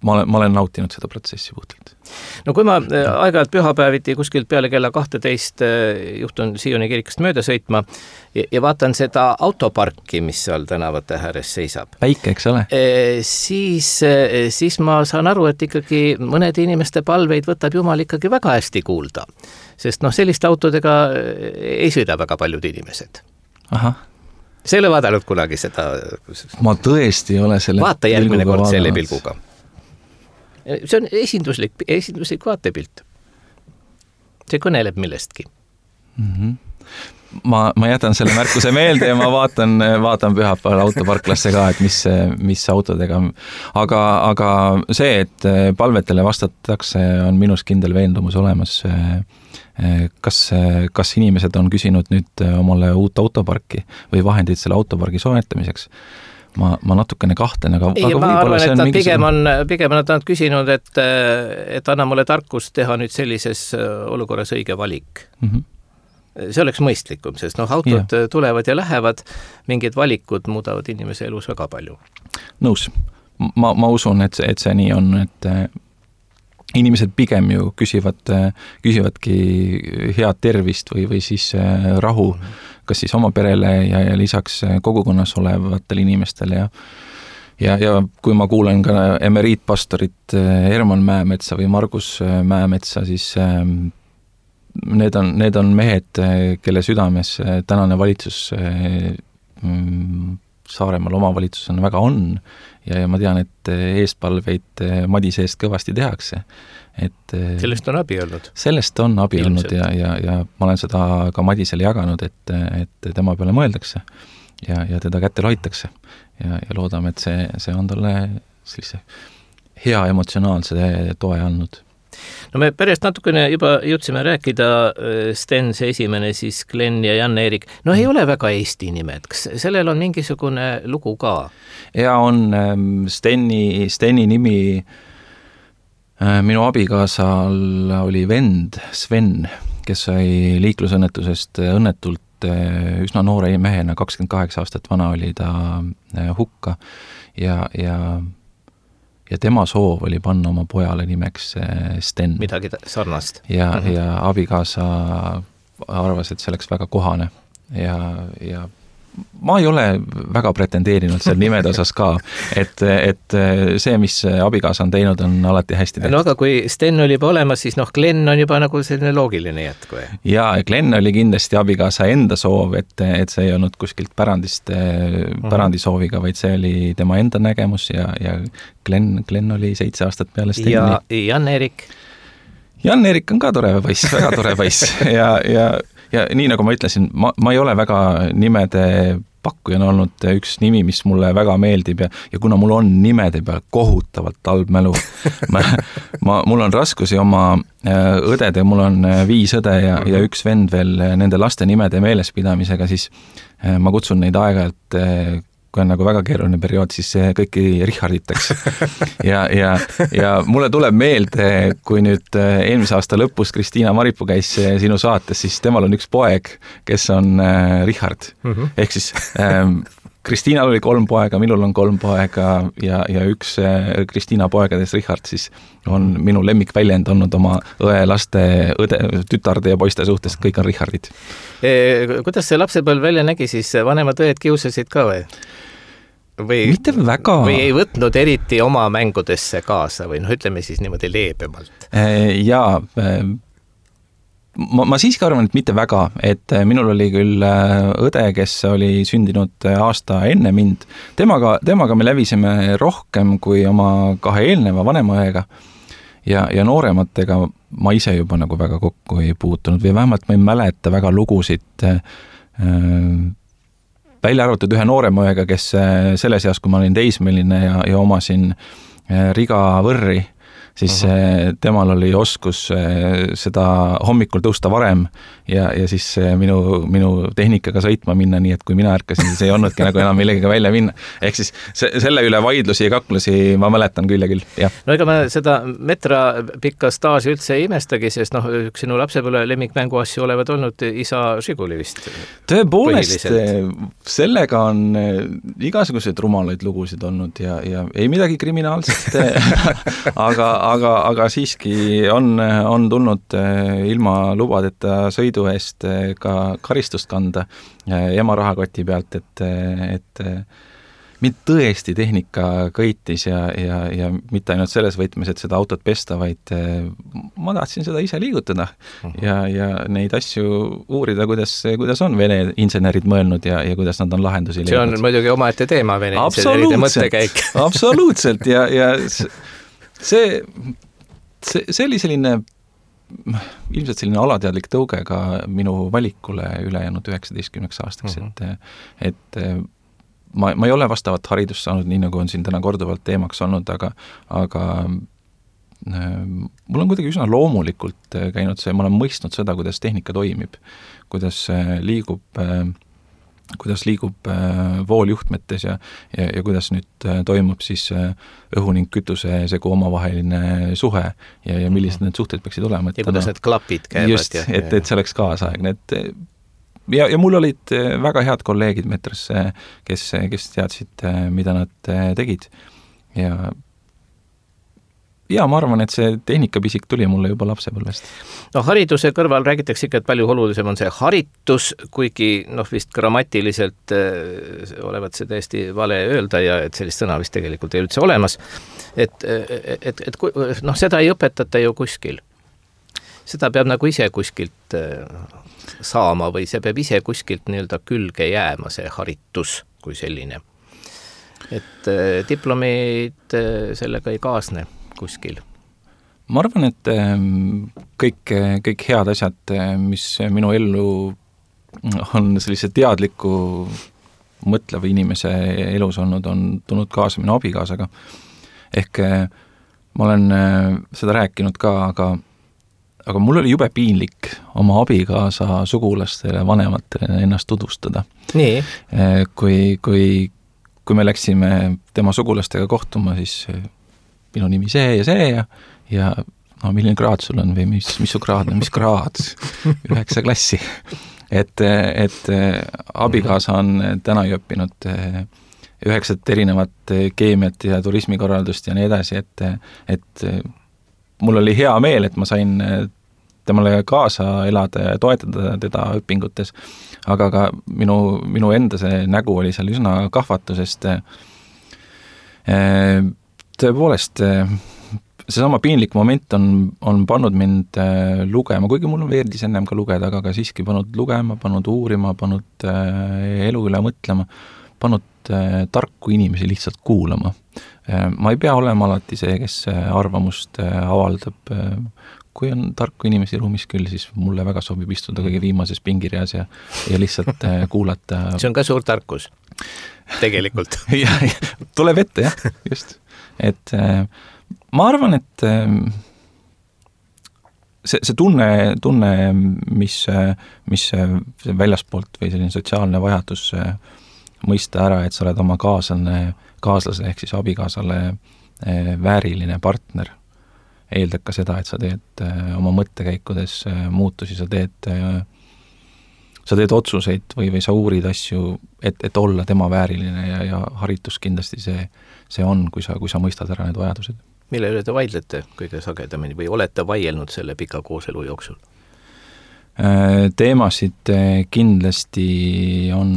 ma olen nautinud seda protsessi puhtalt. No kui ma aeg-ajalt pühapäeviti kuskilt peale kella 12 juhtun Sioni kirikust mööda sõitma ja vaatan seda autoparki, mis seal tänavate ääres seisab. Päike, eks ole? Siis ma saan aru, et ikkagi mõnede inimeste palveid võtab Jumal ikkagi väga hästi kuulda. Sest selliste autodega ei sõida väga paljud inimesed. Aha. See ei ole vaadanud kunagi seda? Ma tõesti ei ole selle vaata järgmine kord selle pilguga. See on esinduslik vaatepilt. See kõneleb millestki. Ma jätan selle märkuse meelde ja ma vaatan pühapäeval autoparklasse ka, et mis autodega. Aga see, et palvetele vastatakse, on minus kindel veendumus olemas. Kas inimesed on küsinud nüüd omale uut autoparki või vahendeid selle autopargi soetamiseks? Ma natukene kahtlen, aga ma arvan, et nad pigem nad küsinud, et anna mulle tarkust teha nüüd sellises olukorras õige valik. See oleks mõistlikum, sest autod tulevad ja lähevad, mingid valikud muudavad inimese elus väga palju. Nõus. Ma usun, et see nii on, et inimesed pigem ju küsivadki head tervist või siis rahu, kas siis oma perele ja lisaks kogukonnas olevatele inimestele ja kui ma kuulen ka emeriitpastorit Herman Mäemetsa või Margus Mäemetsa, siis need on mehed, kelle südames tänane valitsus Saaremaal omavalitsusena väga on ja ma tean, et eespalveid Madise eest kõvasti tehakse. Et sellest on abi olnud? Sellest on abi olnud ja ma olen seda ka Madisele jaganud, et tema peale mõeldakse ja teda kätte hoitakse ja loodame, et see on talle sellise hea emotsionaalse toe andnud. No me pärast natukene juba jõudsime rääkida, Sten, see esimene, siis Glenn ja Jan-Erik. No ei ole väga Eesti nimed, kas sellel on mingisugune lugu ka? Ja on Steni nimi, minu abikaasal oli vend Sven, kes sai liiklusõnnetusest õnnetult üsna noore mehena, 28 aastat vana oli ta hukka ja tema soov oli panna oma pojale nimeks Sten. Midagi sarnast. Ja abikaasa arvas, et see oleks väga kohane ja ma ei ole väga pretendeerinud seal nimede osas ka, et see, mis abikaasa on teinud, on alati hästi tehtud. No aga kui Sten oli juba olemas, siis Glenn on juba nagu selline loogiline jätku. Ja Glenn oli kindlasti abikaasa enda soov, et see ei olnud kuskilt pärandisooviga, vaid see oli tema enda nägemus ja Glenn oli 7 aastat peale Steni. Ja Jan-Erik? Jan-Erik on ka tore poiss, väga tore poiss ja nii nagu ma ütlesin, ma ei ole väga nimede pakkujana olnud üks nimi, mis mulle väga meeldib ja kuna mul on nimede peal kohutavalt halb mälu, mul on raskusi oma õdede, mul on 5 õde ja üks vend veel nende laste nimede meelespidamisega, siis ma kutsun neid aeg-ajalt, kui on nagu väga keeruline periood, siis kõiki Richarditaks. ja mulle tuleb meelde, kui nüüd eelmise aasta lõpus Kristiina Maripuu käis sinu saates, siis temal on üks poeg, kes on Richard. Ehk siis Kristiinal oli 3 poega, minul on 3 poega ja üks Kristiina poegadest Richard siis on minu lemmikväljend olnud oma õe, laste, tütarde ja poiste suhtes, kõik on Richardid. Kuidas see lapsepõlv välja nägi, siis vanemad õed kiusasid ka või? Mitte väga. Või ei võtnud eriti oma mängudesse kaasa või ütleme siis niimoodi leebemalt? Jaa, ma siiski arvan, et mitte väga, et minul oli küll õde, kes oli sündinud aasta enne mind. Temaga me lävisime rohkem kui oma 2 eelneva vanema õega ja noorematega ma ise juba nagu väga kokku ei puutunud või vähemalt ma ei mäleta väga lugusid välja arvatud ühe noorema õega, kes selles eas, kui ma olin teismeline ja omasin Riga võrri, siis temal oli oskus seda hommikul tõusta varem ja siis minu tehnikaga sõitma minna, nii et kui mina ärkasin, siis ei olnudki nagu enam millegagi välja minna. Ehk siis selle üle vaidlusi ja kaklusi ma mäletan küll ja küll, jah. No ega ma seda metra pikka staaži üldse ei imestagi, sest üks sinu lapsepõlve lemmikmängu asju olevad olnud isa Žiguli vist. Tõepoolest, sellega on igasuguseid rumalaid lugusid olnud ja ei midagi kriminaalset, aga siiski on tulnud ilma lubadeta sõidu eest ka karistust kanda ema rahakoti pealt, et mind tõesti tehnika kõitis ja mitte ainult selles võtmes, et seda autot pesta, vaid ma tahtsin seda ise liigutada ja neid asju uurida, kuidas on vene insenerid mõelnud ja kuidas nad on lahendusi leidnud. See on muidugi omaette teema, vene inseneride mõttekäik. Absoluutselt ja see oli selline ilmselt selline alateadlik tõuge ka minu valikule ülejäänud 19 aastaks, et ma ei ole vastavat haridust saanud, nii nagu on siin täna korduvalt teemaks olnud, aga mul on kuidagi üsna loomulikult käinud see, ma olen mõistnud seda, kuidas tehnika toimib, kuidas liigub vooljuhtmetes ja kuidas nüüd toimub siis õhu ning kütuse segu omavaheline suhe ja millised need suhted peaksid olema. Ja kuidas need klapid käivad. Just, et see oleks kaasaegne. Ja mul olid väga head kolleegid metras, kes teadsid, mida nad tegid. Ja ma arvan, et see tehnikapisik tuli mulle juba lapsepõlvest. No hariduse kõrval räägitakse ikka, et palju olulisem on see haritus, kuigi vist grammatiliselt olevat see täiesti vale öelda ja et sellist sõna vist tegelikult ei üldse olemas. Et seda ei õpetata ju kuskil. Seda peab nagu ise kuskilt saama või see peab ise kuskilt nii-öelda külge jääma, see haritus kui selline. et diplomid sellega ei kaasne kuskil? Ma arvan, et kõik head asjad, mis minu ellu on sellise teadliku mõtleva inimese elus olnud, on tulnud kaasa minu abikaasaga. Ehk ma olen seda rääkinud ka, aga mul oli jube piinlik oma abikaasa sugulastele, vanematele ennast tutvustada. Nii? Kui me läksime tema sugulastega kohtuma, siis minu nimi see ja milline kraad sul on või mis su kraad on, mis kraad? 9 klassi. Et abikaasa on täna õppinud 9 erinevat keemiat ja turismikorraldust ja nii edasi, et mul oli hea meel, et ma sain temale kaasa elada ja toetada teda õpingutes, aga ka minu enda see nägu oli seal üsna kahvatu, sest tõepoolest seesama piinlik moment on pannud mind lugema, kuigi mul veerdis ennem ka lugeda, aga ka siiski pannud lugema, pannud uurima, pannud elu üle mõtlema, pannud tarku inimesi lihtsalt kuulama. Ma ei pea olema alati see, kes arvamust avaldab. Kui on tarku inimesi ruumis küll, siis mulle väga sobib istuda kõige viimases pingireas ja lihtsalt kuulata. See on ka suur tarkus, tegelikult. ja, tuleb ette, jah, just. Et ma arvan, et see tunne, mis väljaspoolt või selline sotsiaalne vajadus mõista ära, et sa oled oma kaaslase ehk siis abikaasale vääriline partner, eeldab ka seda, et sa teed oma mõttekäikudes muutusi, sa teed otsuseid või sa uurid asju, et olla tema vääriline ja haritus kindlasti see on, kui sa mõistad ära need vajadused. Mille üle te vaidlete kõige sagedamini või olete vaielnud selle pika kooselu jooksul? Teemasid kindlasti on...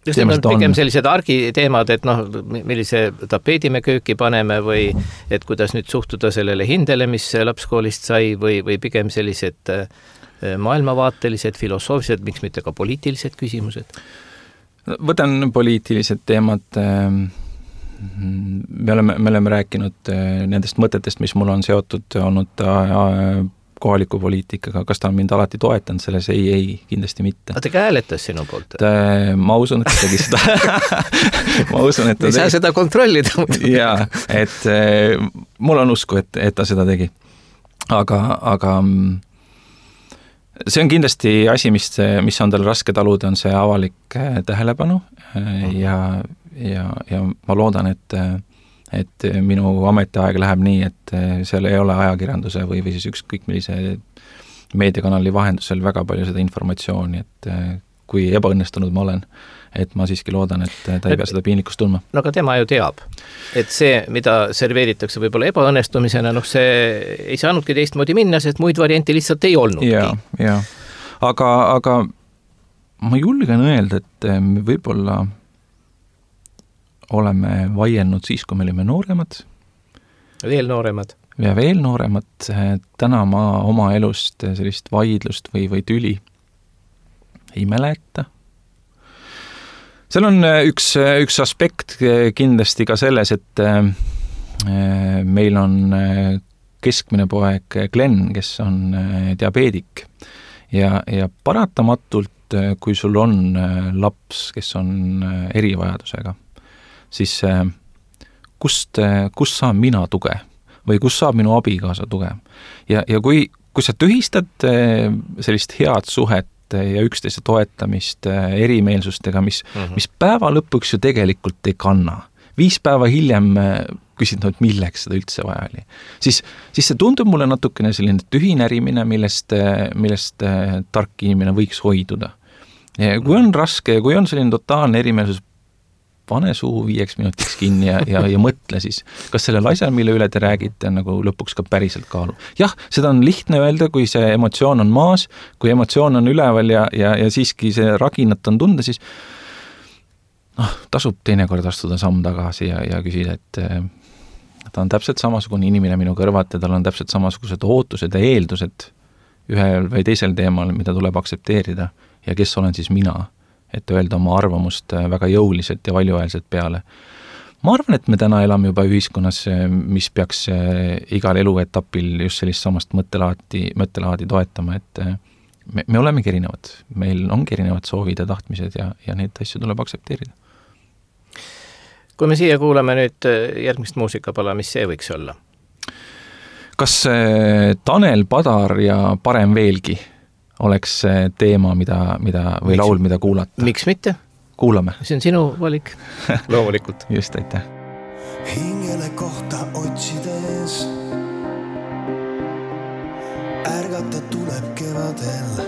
Just need on pigem sellised argiteemad, et millise tapeedi me kööki paneme või et kuidas nüüd suhtuda sellele hindele, mis lapskoolist sai või pigem sellised maailmavaatelised, filosoofilised, miks mitte ka poliitilised küsimused? Võtan poliitilised teemad. Me oleme rääkinud nendest mõtetest, mis mul on seotud olnud kohaliku poliitikaga, kas ta on mind alati toetanud selles? Ei, kindlasti mitte. Aga ta hääletas sinu poolt? Ma usun, et ta tegi seda. Ma usun, et ta tegi. Ei saa seda kontrollida. Jaa, et mul on usku, et ta seda tegi. Aga see on kindlasti asi, mis on tal raske taluda, on see avalik tähelepanu ja ma loodan, et minu ametiaeg läheb nii, et seal ei ole ajakirjanduse või siis ükskõik millise meediakanali vahendusel väga palju seda informatsiooni, et kui ebaõnnestunud ma olen, et ma siiski loodan, et ta ei pea seda piinlikkust tundma. No aga tema ju teab, et see, mida serveeritakse võib-olla ebaõnnestumisena, see ei saanudki teistmoodi minna, sest muid variante lihtsalt ei olnudki. Ja. Aga ma julgen öelda, et me võib-olla oleme vaielnud siis, kui me olime nooremad. Veel nooremad. Ja veel nooremad. Täna ma oma elust sellist vaidlust või tüli ei mäleta. Seal on üks aspekt kindlasti ka selles, et meil on keskmine poeg Glenn, kes on diabeedik ja paratamatult, kui sul on laps, kes on erivajadusega, siis kust saan mina tuge või kust saab minu abikaasa tuge. Ja kui sa tühistad sellist head suhet ja üksteise toetamist erimeelsustega, mis päeva lõpuks ju tegelikult ei kanna. 5 päeva hiljem küsid, milleks seda üldse vaja oli. Siis see tundub mulle natukene selline tühinärimine, millest tark inimene võiks hoiduda. Ja kui on raske ja kui on selline totaalne erimeelsus, pane suu 5 minutiks kinni ja mõtle siis, kas sellel asjal, mille üle te räägite, nagu lõpuks ka päriselt kaalu. Jah, seda on lihtne öelda, kui see emotsioon on maas, kui emotsioon on üleval ja siiski see raginat on tunda, siis tasub teinekord astuda samm tagasi ja küsida, et ta on täpselt samasugune inimene minu kõrvat ja tal on täpselt samasugused ootused ja eeldused ühel või teisel teemal, mida tuleb aksepteerida ja kes olen siis mina et öelda oma arvamust väga jõuliselt ja valjuhäälselt peale. Ma arvan, et me täna elame juba ühiskonnas, mis peaks igal eluetapil just sellist samast mõttelaadi toetama, et me olemegi erinevad. Meil ongi erinevad soovid ja tahtmised ja neid asju tuleb aksepteerida. Kui me siia kuulame nüüd järgmist muusikapala, mis see võiks olla? Kas Tanel Padar ja Parem veelgi oleks teema, või laul, mida kuulata? Miks mitte? Kuulame. See on sinu valik. Loomulikult. Just, aitäh. Hingele kohta otsides ärgata tuleb kevadel,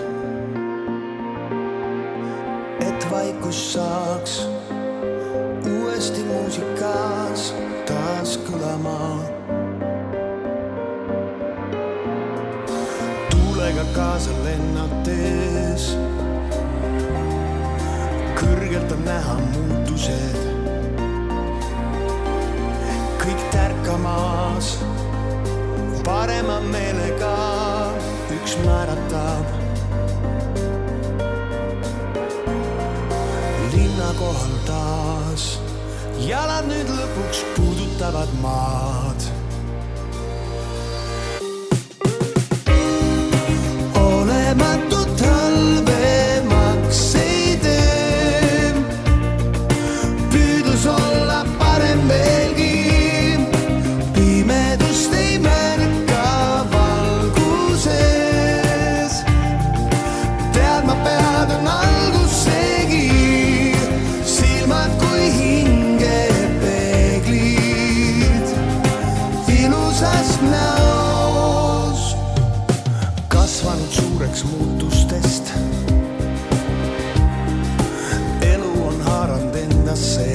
et vaikus saaks uuesti muusikas taas kõlama. Tuulega kaasa lennates kõrgelt on näha muutused, kõik tärkamas parema meelega üks määratab. Linna kohal taas jalad nüüd lõpuks puudutavad maad. Olematut talvemaks ei tee, püüdlus olla parem veelgi, pimedust ei märka valguses, teadma pead on algusegi, silmad kui hinge peeglid ilusast näos, kasvanud suureks muutustest. Elu on haaranud endasse,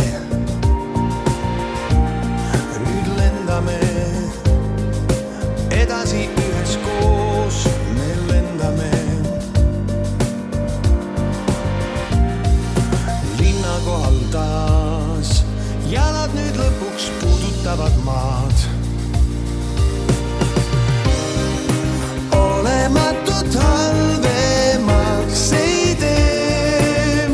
nüüd lendame edasi üheskoos, me lendame. Linna kohal taas jalad nüüd lõpuks puudutavad maad. Olematut talvemaks ei tee,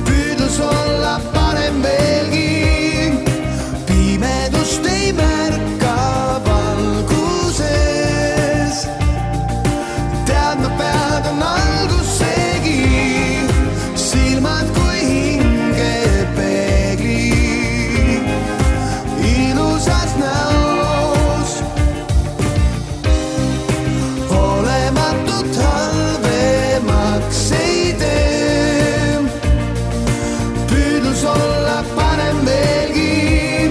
püüdlus olla parem veelgi, pimedust ei märka valguses, teadma pead on algusegi, silmad kui hinge peeglid ilusas näos. Olematut talvemaks ei tee, püüdlus olla parem veelgi,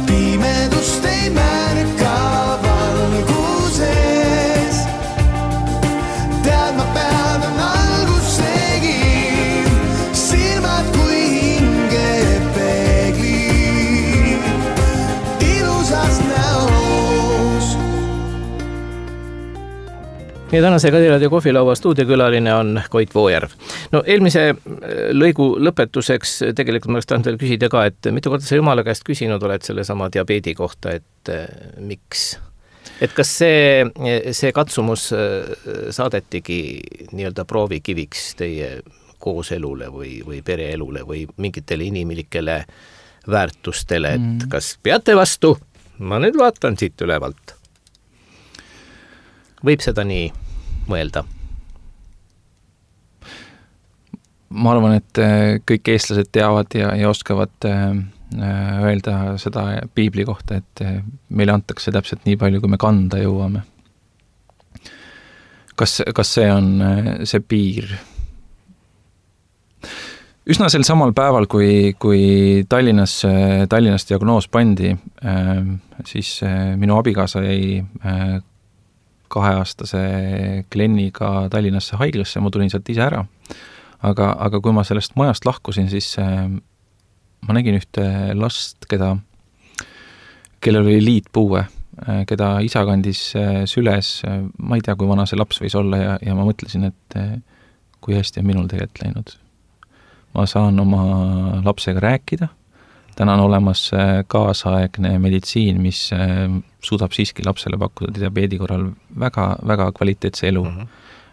pimedust ei märka valguses, teadma pead on algusegi, silmad kui hinge peeglid ilusas näos. Ja tänase Kadiraadio kohvilaua stuudiokülaline on Koit Voojärv. No eelmise lõigu lõpetuseks tegelikult ma oleks tahtnud veel küsida ka, et mitu korda sa Jumala käest küsinud oled selle sama diabeedi kohta, et miks? Et kas see katsumus saadetigi nii-öelda proovikiviks teie kooselule või pereelule või mingitele inimlikele väärtustele, et kas peate vastu? Ma nüüd vaatan siit ülevalt. Võib seda nii mõelda? Ma arvan, et kõik eestlased teavad ja oskavad öelda seda piibli kohta, et meile antakse täpselt nii palju, kui me kanda jõuame. Kas see on see piir? Üsna sel samal päeval, kui Tallinnas diagnoos pandi, siis minu abikaasa jäi 2-aastase Glenniga Tallinnasse haiglasse, ma tulin sealt ise ära. Aga kui ma sellest majast lahkusin, siis ma nägin ühte last, kellel oli liitpuue, keda isa kandis süles, ma ei tea, kui vana see laps võis olla ja ma mõtlesin, et kui hästi on minul tegelikult läinud. Ma saan oma lapsega rääkida, täna on olemas kaasaegne meditsiin, mis suudab siiski lapsele pakkuda diabeedi korral väga, väga kvaliteetse elu.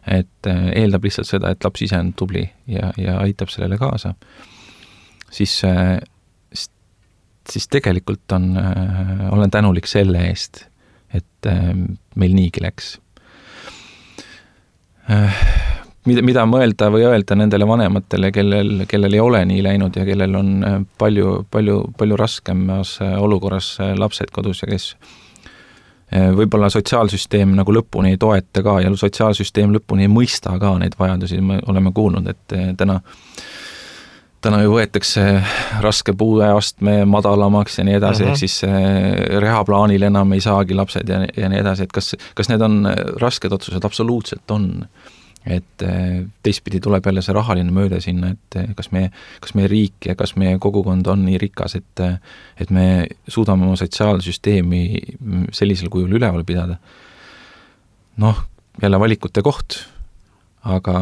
et eeldab lihtsalt seda, et laps ise on tubli ja aitab sellele kaasa, siis tegelikult olen tänulik selle eest, et meil niigi läks. Mida mõelda või öelda nendele vanematele, kellel ei ole nii läinud ja kellel on palju raskemas olukorras lapsed kodus ja kes võib-olla sotsiaalsüsteem nagu lõpuni ei toeta ka ja sotsiaalsüsteem lõpuni ei mõista ka neid vajadusi. Me oleme kuulnud, et täna ju võetakse raske puueastme madalamaks ja nii edasi, ehk siis rehaplaanil enam ei saagi lapsed ja nii edasi, et kas need on rasked otsused? Absoluutselt on. Et teistpidi tuleb jälle see rahaline mööda sinna, et kas meie riik ja kas meie kogukond on nii rikas, et me suudame oma sotsiaalsüsteemi sellisel kujul üleval pidada. Noh, jälle valikute koht, aga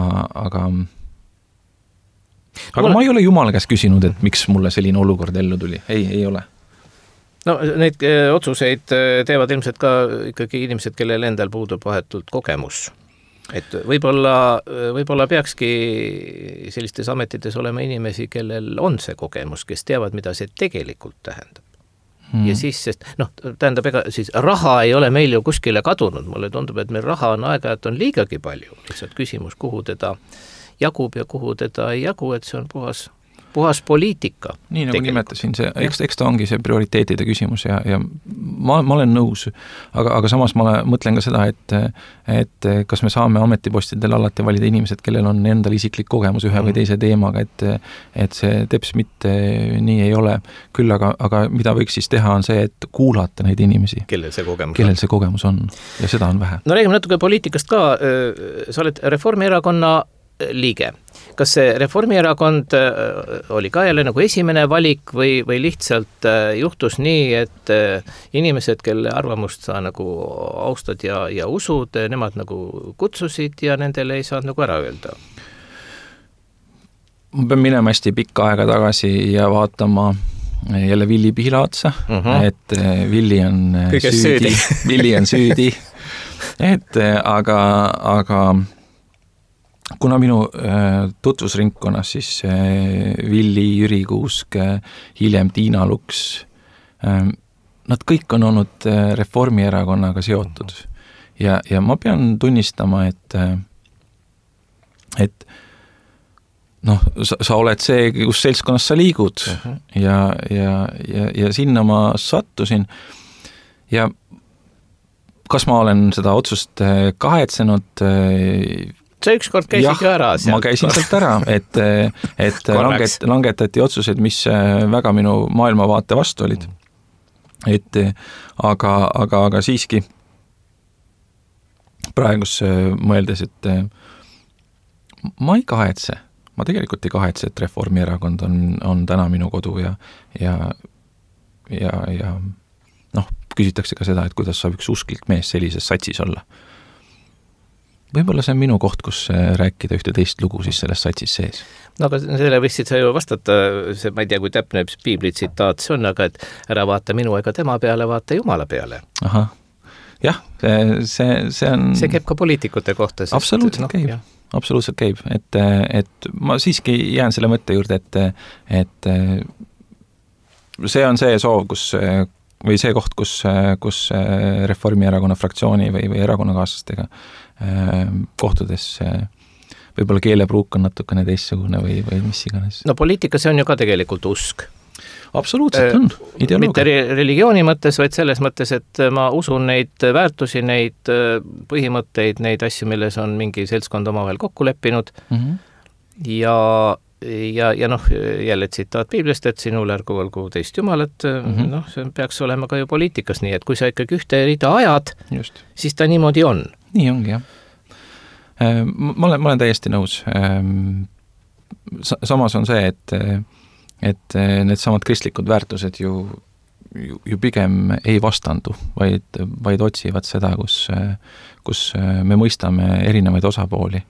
ma ei ole Jumala käest küsinud, et miks mulle selline olukord ellu tuli. Ei ole. No neid otsuseid teevad ilmselt ka ikkagi inimesed, kellel endal puudub vahetult kogemus. Et võib-olla peakski sellistes ametites olema inimesi, kellel on see kogemus, kes teavad, mida see tegelikult tähendab. Ja siis, sest tähendab, ega siis raha ei ole meil ju kuskile kadunud. Mulle tundub, et meil raha on aeg-ajalt on liigagi palju. Lihtsalt küsimus, kuhu teda jagub ja kuhu teda ei jagu, et see on puhas poliitika. Nii nagu nimetasin, eks ta ongi see prioriteetide küsimus ja ma olen nõus, aga samas ma mõtlen ka seda, et kas me saame ametipostidel alati valida inimesed, kellel on endal isiklik kogemus ühe või teise teemaga, et see teps mitte nii ei ole. Küll aga mida võiks siis teha on see, et kuulata neid inimesi. Kellel see kogemus on ja seda on vähe. No räägime natuke poliitikast ka. Sa oled Reformierakonna liige. Kas see Reformierakond oli ka jälle nagu esimene valik või lihtsalt juhtus nii, et inimesed, kelle arvamust sa nagu austad ja usud, nemad nagu kutsusid ja nendele ei saanud nagu ära öelda? Ma pean minema hästi pikka aega tagasi ja vaatama jälle Villi Pihlaatsa, et Villi on süüdi. Aga kuna minu tutvusringkonnas siis Villi, Jüri Kuusk, hiljem Tiina Luks, nad kõik on olnud Reformierakonnaga seotud. Ja ma pean tunnistama, et sa oled see, kus seltskonnas sa liigud ja sinna ma sattusin ja kas ma olen seda otsust kahetsenud? See ükskord käisid ju ära. Ma käisin sealt ära, et langetati otsused, mis väga minu maailmavaate vastu olid. Aga siiski praegus mõeldes, et ma ei kahetse. Ma tegelikult ei kahetse, et Reformierakond on täna minu kodu ja küsitakse ka seda, et kuidas saab üks usklik mees sellises satsis olla. Võib-olla see on minu koht, kus rääkida ühte teist lugu siis selles satsis sees. No aga selle võistsid sa ju vastata, ma ei tea, kui täpne piibli tsitaat see on, aga et ära vaata minu ega tema peale, vaata Jumala peale. Aha, jah, see on... See käib ka poliitikute kohta. Absoluutselt käib, et ma siiski jään selle mõtte juurde, et see on see soov, või see koht, kus Reformierakonna fraktsiooni või erakonnakaaslastega kohtudes võib-olla keelepruuk on natukene teistsugune või mis iganes. No poliitika, see on ju ka tegelikult usk. Absoluutselt on, ideoloogia. Mitte religiooni mõttes, vaid selles mõttes, et ma usun neid väärtusi, neid põhimõtteid, neid asju, milles on mingi seltskond omavahel kokku leppinud ja jälle tsitaat piiblist, et sinul ärgu olgu teist Jumalat, see peaks olema ka ju poliitikas nii, et kui sa ikkagi ühte rida ajad, siis ta niimoodi on. Nii ongi, jah. Ma olen täiesti nõus. Samas on see, et need samad kristlikud väärtused ju pigem ei vastandu, vaid otsivad seda, kus me mõistame erinevaid osapooli.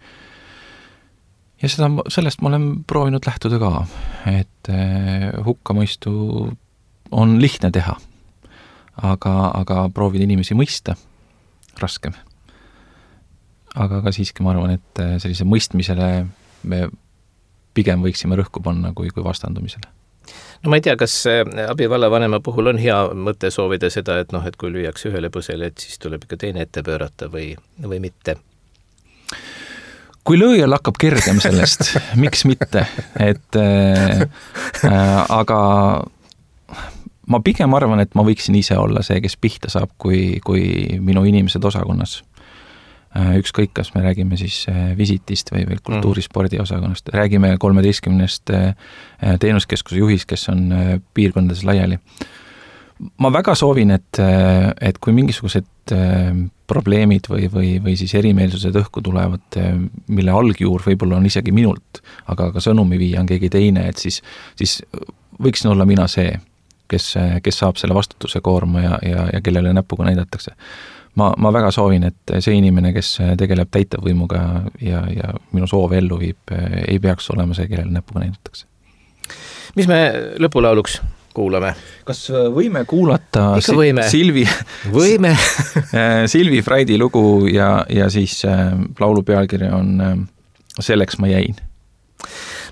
Ja sellest ma olen proovinud lähtuda ka, et hukkamõistu on lihtne teha, aga proovida inimesi mõista raskem. aga ka siiski ma arvan, et sellise mõistmisele me pigem võiksime rõhku panna kui vastandumisele. No ma ei tea, kas abivallavanema puhul on hea mõte soovida seda, et et kui lüüakse ühele põsele, et siis tuleb ikka teine ette pöörata või mitte? Kui lööjal hakkab kergem sellest, miks mitte, aga ma pigem arvan, et ma võiksin ise olla see, kes pihta saab, kui minu inimesed osakonnas. Ükskõik, kas me räägime siis visitist või veel kultuurispordi osakonnast, räägime 13 teenuskeskuse juhist, kes on piirkondades laiali. Ma väga soovin, et kui mingisugused probleemid või siis erimeelsused õhku tulevad, mille algjuur võib-olla on isegi minult, aga sõnumi viia on keegi teine, et siis võiksin olla mina see, kes saab selle vastutuse koorma ja kellele näpuga näidatakse. Ma väga soovin, et see inimene, kes tegeleb täitevvõimuga ja minu soov ellu viib, ei peaks olema see, kellele näpuga näidatakse. Mis me lõpulauluks kuulame? Kas võime kuulata Silvi Freidi lugu ja siis laulu pealkiri on Selleks ma jäin.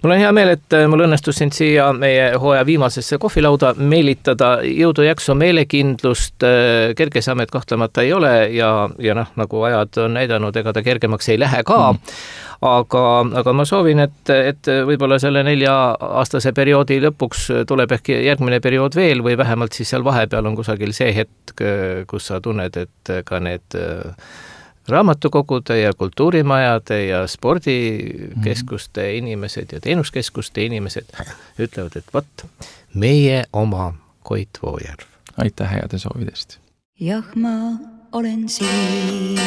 Mul on hea meel, et mul õnnestus sind siia meie hooaja viimasesse kohvilauda meelitada. Jõudu, jaksu, meelekindlust, kergesamet kahtlemata ei ole ja nagu ajad on näidanud, ega ta kergemaks ei lähe ka. Aga ma soovin, et võib-olla selle 4-aastase perioodi lõpuks tuleb ehk järgmine periood veel või vähemalt siis seal vahepeal on kusagil see hetk, kus sa tunned, et ka need raamatukogude ja kultuurimajade ja spordikeskuste inimesed ja teenuskeskuste inimesed ütlevad, et võt, meie oma Koit Voojärv. Aitäh heade soovidest. Jah, ma olen siin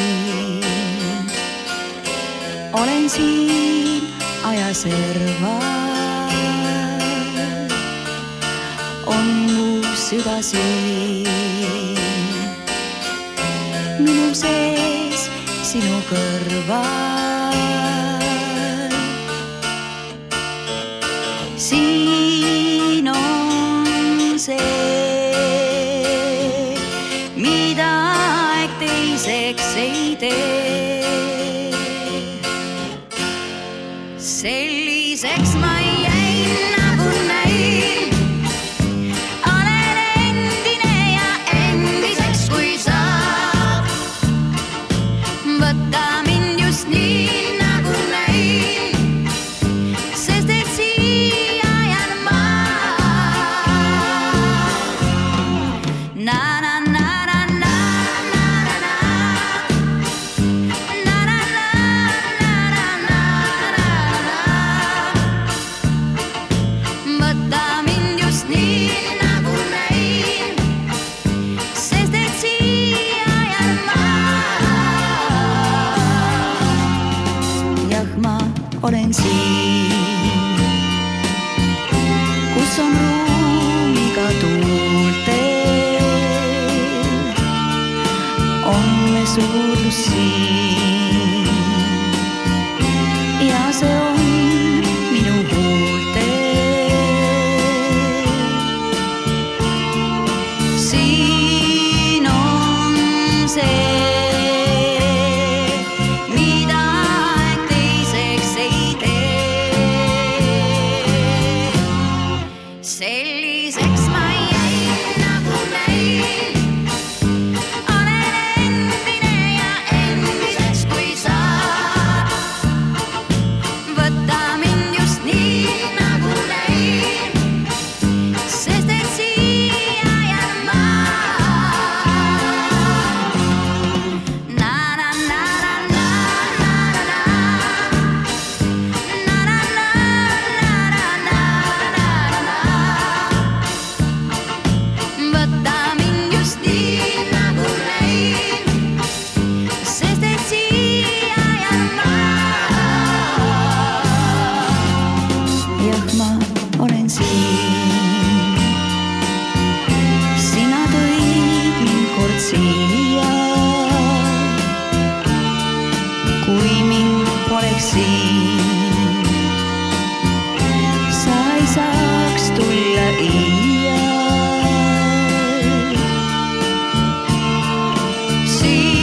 ajaserva. On mu süda siin, minu sees sinu kõrval. Siin on see, mida aeg teiseks ei tee. Selliseks ma jäin nagu näin. Olen endine ja endiseks kui saab. Võta mind just nii nagu näin, sest et siia jään ma. Na na na na na na na na na na na na na. Võta mind just nii nagu näin, sest et siia jään ma. Jah, ma olen siin, kus on ruumiga tuultel, on me suurlus siin ja see on minu huultel. Siin on see, mida aeg teiseks ei tee. Selliseks ma jäin nagu näin. Olen endine ja endiseks kui saab. Võta mind just nii nagu näin, sest et siia jään ma. Na na na na na na na na na na na na. Võta mind just nii nagu näin, sest et siia jään ma. Jah, ma olen siin, sina tõid mind kord siia. Kui mind poleks siin, sa ei saaks tulla iial. Siin